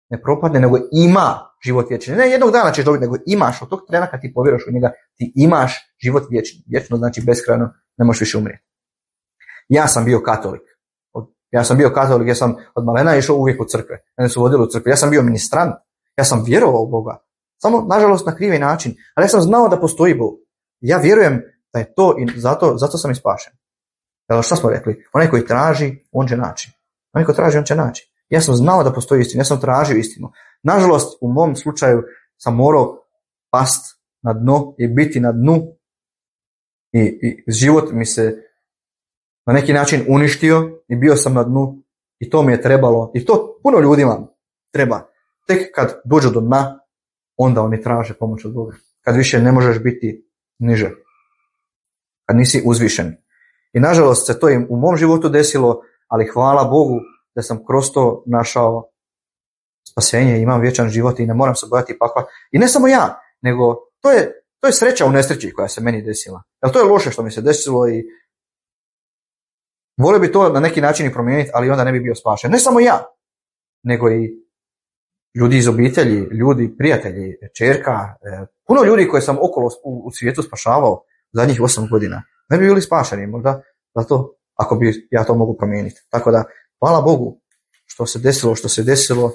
ne propadne, nego ima život vječni. Ne jednog dana ćeš dobiti, nego imaš, od tog trena kad ti povjeruješ u njega, ti imaš život vječni. Vječno znači beskrajno, ne možeš više umrijeti. Ja sam bio katolik. Ja sam bio katolik, ja sam od malena išao uvijek u crkve. Mene su vodili u crkve. Ja sam bio ministrant. Ja sam vjerovao u Boga. Samo, nažalost, na krivi način. Ali ja sam znao da postoji Bog. Ja vjerujem da je to i zato, zato sam i spašen. Jel, šta smo rekli? Onaj koji traži, on će naći. Onaj koji traži, on će naći. Ja sam znao da postoji istina. Ja sam tražio istinu. Nažalost, u mom slučaju sam morao past na dno i biti na dnu. I, i život mi se na neki način uništio i bio sam na dnu i to mi je trebalo. I to puno ljudima treba. Tek kad dođu do dna, onda oni traže pomoć od Boga. Kad više ne možeš biti niže. Kad nisi uzvišen. I nažalost se to i u mom životu desilo, ali hvala Bogu da sam kroz to našao spasenje, imam vječan život i ne moram se bojati pakla. I ne samo ja, nego to je, to je sreća u nesreći koja se meni desila. Jer to je loše što mi se desilo i volio bi to na neki način i promijeniti, ali onda ne bi bio spašen. Ne samo ja, nego i ljudi iz obitelji, ljudi, prijatelji, čerka, puno ljudi koje sam okolo u, u svijetu spašavao zadnjih osam godina. Ne bi bili spašeni, možda zato ako bi ja to mogu promijeniti. Tako da, hvala Bogu što se desilo, što se desilo,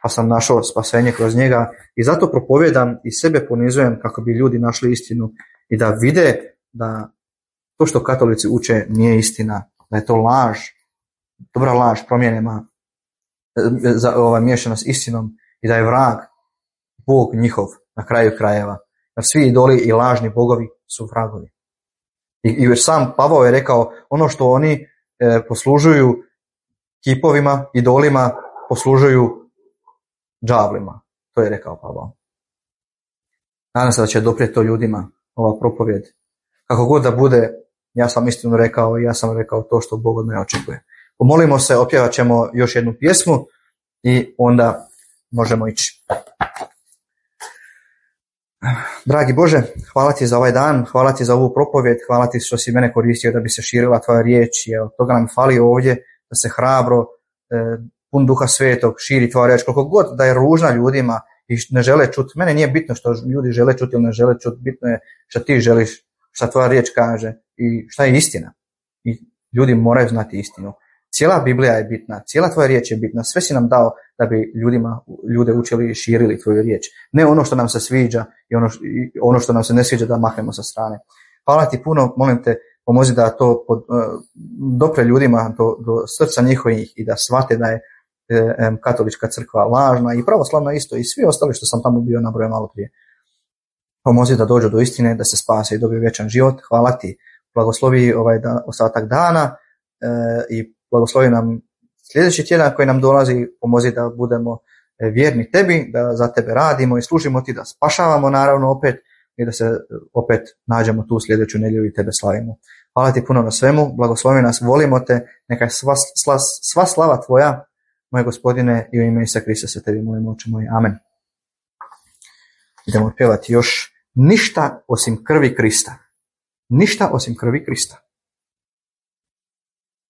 pa sam našao spasenje kroz njega i zato propovijedam i sebe ponizujem kako bi ljudi našli istinu i da vide da to što katolici uče nije istina, da je to laž, dobra laž, promjenama za ova miješana s istinom i da je vrag Bog njihov na kraju krajeva. Jer svi idoli i lažni bogovi su vragovi. I, i već sam Pavao je rekao, ono što oni e, poslužuju kipovima, idolima, poslužuju đavlima. To je rekao Pavao. Nadam se da će doprijeti to ljudima, ova propovjed. Kako god da bude, ja sam istinu rekao i ja sam rekao to što Bog od mene očekuje. Pomolimo se, opjevat ćemo još jednu pjesmu i onda možemo ići. Dragi Bože, hvala ti za ovaj dan, hvala ti za ovu propovjed, hvala ti što si mene koristio da bi se širila tvoja riječ i od toga nam fali ovdje da se hrabro, eh, pun duha svetog širi tvoja riječ, koliko god da je ružna ljudima i ne žele čuti. Mene nije bitno što ljudi žele čuti ili ne žele čuti, bitno je što ti želiš, što tvoja riječ kaže i šta je istina. I ljudi moraju znati istinu. Cijela Biblija je bitna, cijela tvoja riječ je bitna, sve si nam dao da bi ljudima, ljude učili i širili tvoju riječ. Ne ono što nam se sviđa i ono, i ono što nam se ne sviđa da mahnemo sa strane. Hvala ti puno, molim te, pomozi da to pod, uh, dopre ljudima do, do srca njihovih i da shvate da je um, katolička crkva lažna i pravoslavna isto i svi ostali što sam tamo bio nabrojao malo prije. Pomozi da dođu do istine, da se spase i dobiju vječan život. Hvala ti, blagoslovi ovaj da, ostatak dana uh, i blagoslovi nam sljedeći tjedan koji nam dolazi, pomozi da budemo vjerni tebi, da za tebe radimo i služimo ti, da spašavamo naravno opet i da se opet nađemo tu sljedeću nedjelju i tebe slavimo. Hvala ti puno na svemu, blagoslovi nas, volimo te, neka sva, sva, sva slava tvoja, moj Gospodine, i u ime Isusa Krista se tebi molimo, oče moj, amen. Idemo pjevati još ništa osim krvi Krista. Ništa osim krvi Krista.